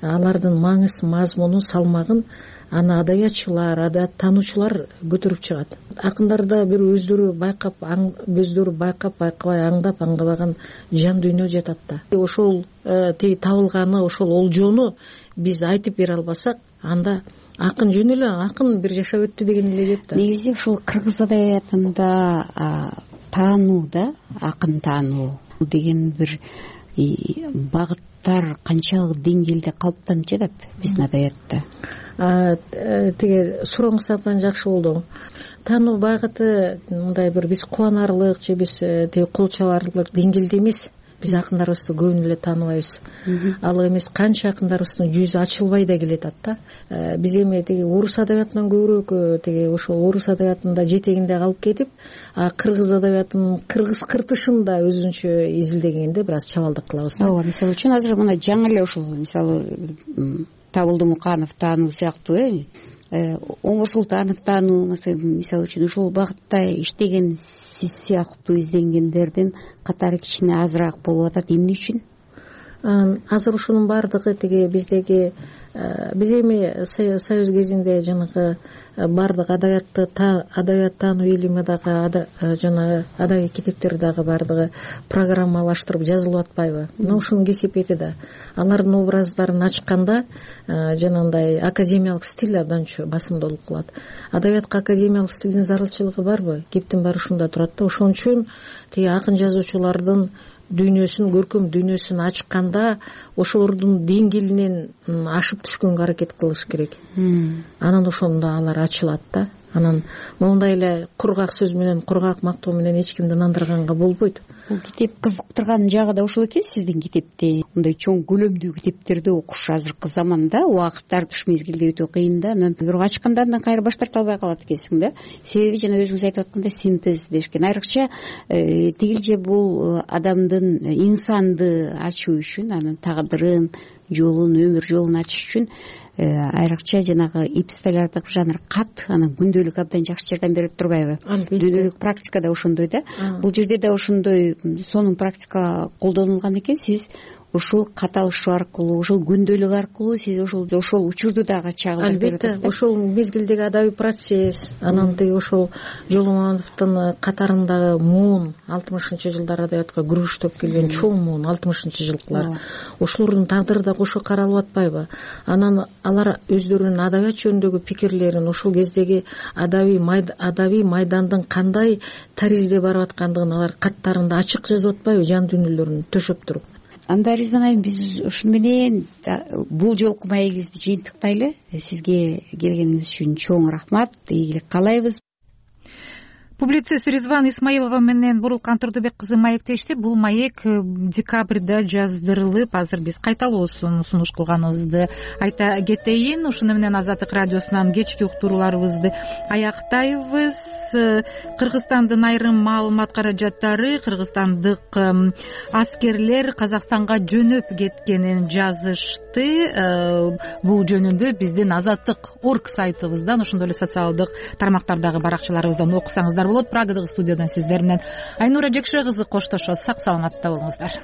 алардын маңыз, мазмунун, салмагын аны адабиятчылар, адабият таануучулар көтөрүп чыгат. Акындарда бир өздөрү байкап, өздөрү байкап, байкабай, аңдап, аңдабаган жан дүйнө жатат да. Ошол тиги табылганы, ошол олжону биз айтып бере албасак, анда акын жөн эле акын бир жашап өттү деген эле кет да. Негизи ушул кыргыз адабиятында таануу да, акын таануу деген бир багыттар канчалык деңгээлде калыптанып жатат биздин адабиятта? Тиги сурооңуз абдан жакшы болду. Таануу багыты мындай бир биз кубанарлык же биз тиги кол чабарлык деңгээлде эмес. Биз акындарыбызды көбүн эле тааныбайбыз. Ал эмес, канча акындарыбыздын жүзү ачылбай да келатат да. Биз эми тиги орус адабиятынан көбүрөөк тиги ошол орус адабиятында жетегинде калып кетип, кыргыз адабиятынын кыргыз кыртышын да өзүнчө изилдегенде бир аз чабалдык кылабыз. Ооба, мисалы үчүн азыр мына жаңы эле ушул мисалы Табылды Муканов таануу сыяктуу, э Оңгор Султанов таануу мисалы үчүн ушул багытта иштеген сиз сыяктуу изденгендердин катары кичине азыраак болуп атат. Эмне үчүн? Азыр ушунун баардыгы тиги биздеги биз эми союз кезинде жанагы баардык адабиятты адабият таануу илими дагы жанагы адабий китептер дагы баардыгы программалаштырып жазылып атпайбы? Мына ушунун кесепети да. Алардын образдарын ачканда жанагындай академиялык стиль абдан басымдуулук кылат. Адабиятка академиялык стилдин зарылчылыгы барбы? Кептин баары ушунда турат да. Ошон үчүн тиги акын жазуучулардын дүйнөсүн, көркөм дүйнөсүн ачканда ошолордун деңгээлинен ашып түшкөнгө аракет кылыш керек. Анан ошондо алар ачылат да. Анан мондай эле кургак сөз менен, кургак мактоо менен эч кимди нандырганга болбойт. Бул китеп кызыктырган жагы да ошол экен сиздин китепте. Мындай чоң көлөмдүү китептерди окуш азыркы заманда убакыт тартыш мезгилде өтө кыйын да. Анан бирок ачканда андан кайра баш тарта албай калат экенсиң да. Себеби жана өзүңүз айтып аткандай синтез дешкен. Айрыкча тигилже бул адамдын, инсанды ачуу үчүн, анын тагдырын, жолун, өмүр жолун ачыш үчүн айрыкча жанагы эпистолярдык жанр кат, анан күндөлүк абдан жакшы жардам берип турбайбы? Күндөлүк практикада ошондой да. Бул жерде да ошондой сонун практика колдонулган экен. Сиз ушул каталышуу аркылуу, ушул күндөлүк аркылуу сиз ошол ошол учурду дагы чагылдырып берип атасыз. Албетте, ошол мезгилдеги адабий процесс, анан тиги ошол Жоломоновдун катарындагы муун алтымышынчы жылдар адабиятка күрөштөп келген чоң муун алтымышынчы жылкылар, ошолордун тагдыры да кошо каралып атпайбы? Анан алар өздөрүнүн адабият жөнүндөгү пикирлерин ошол кездеги адабий адабий майдандын кандай таризде барып аткандыгын алар каттарында ачык жазып атпайбы, жан дүйнөлөрүн төшөп туруп? Анда Ризан айым, биз ушун менен бул жолку маегибизди жыйынтыктайлы. Сизге келгениңиз үчүн чоң рахмат, ийгилик каалайбыз. Публицист Ризван Исмаилова менен Бурулкан Турдубек кызы маектешти. Бул маек декабрда жаздырылып, азыр биз кайталоосун сунуш кылганыбызды айта кетейин. Ушуну менен Азаттык радиосунан кечки уктурууларыбызды аяктайбыз. Кыргызстандын айрым маалымат каражаттары кыргызстандык аскерлер Казакстанга жөнөп кеткенин жазышты. Бул жөнүндө биздин Азаттык точка орг сайтыбыздан, ошондой эле социалдык тармактардагы баракчаларыбыздан окусаңыздар болот. Прагадагы студиядан сиздер менен Айнура Жекше кызы коштошот. Сак саламатта болуңуздар.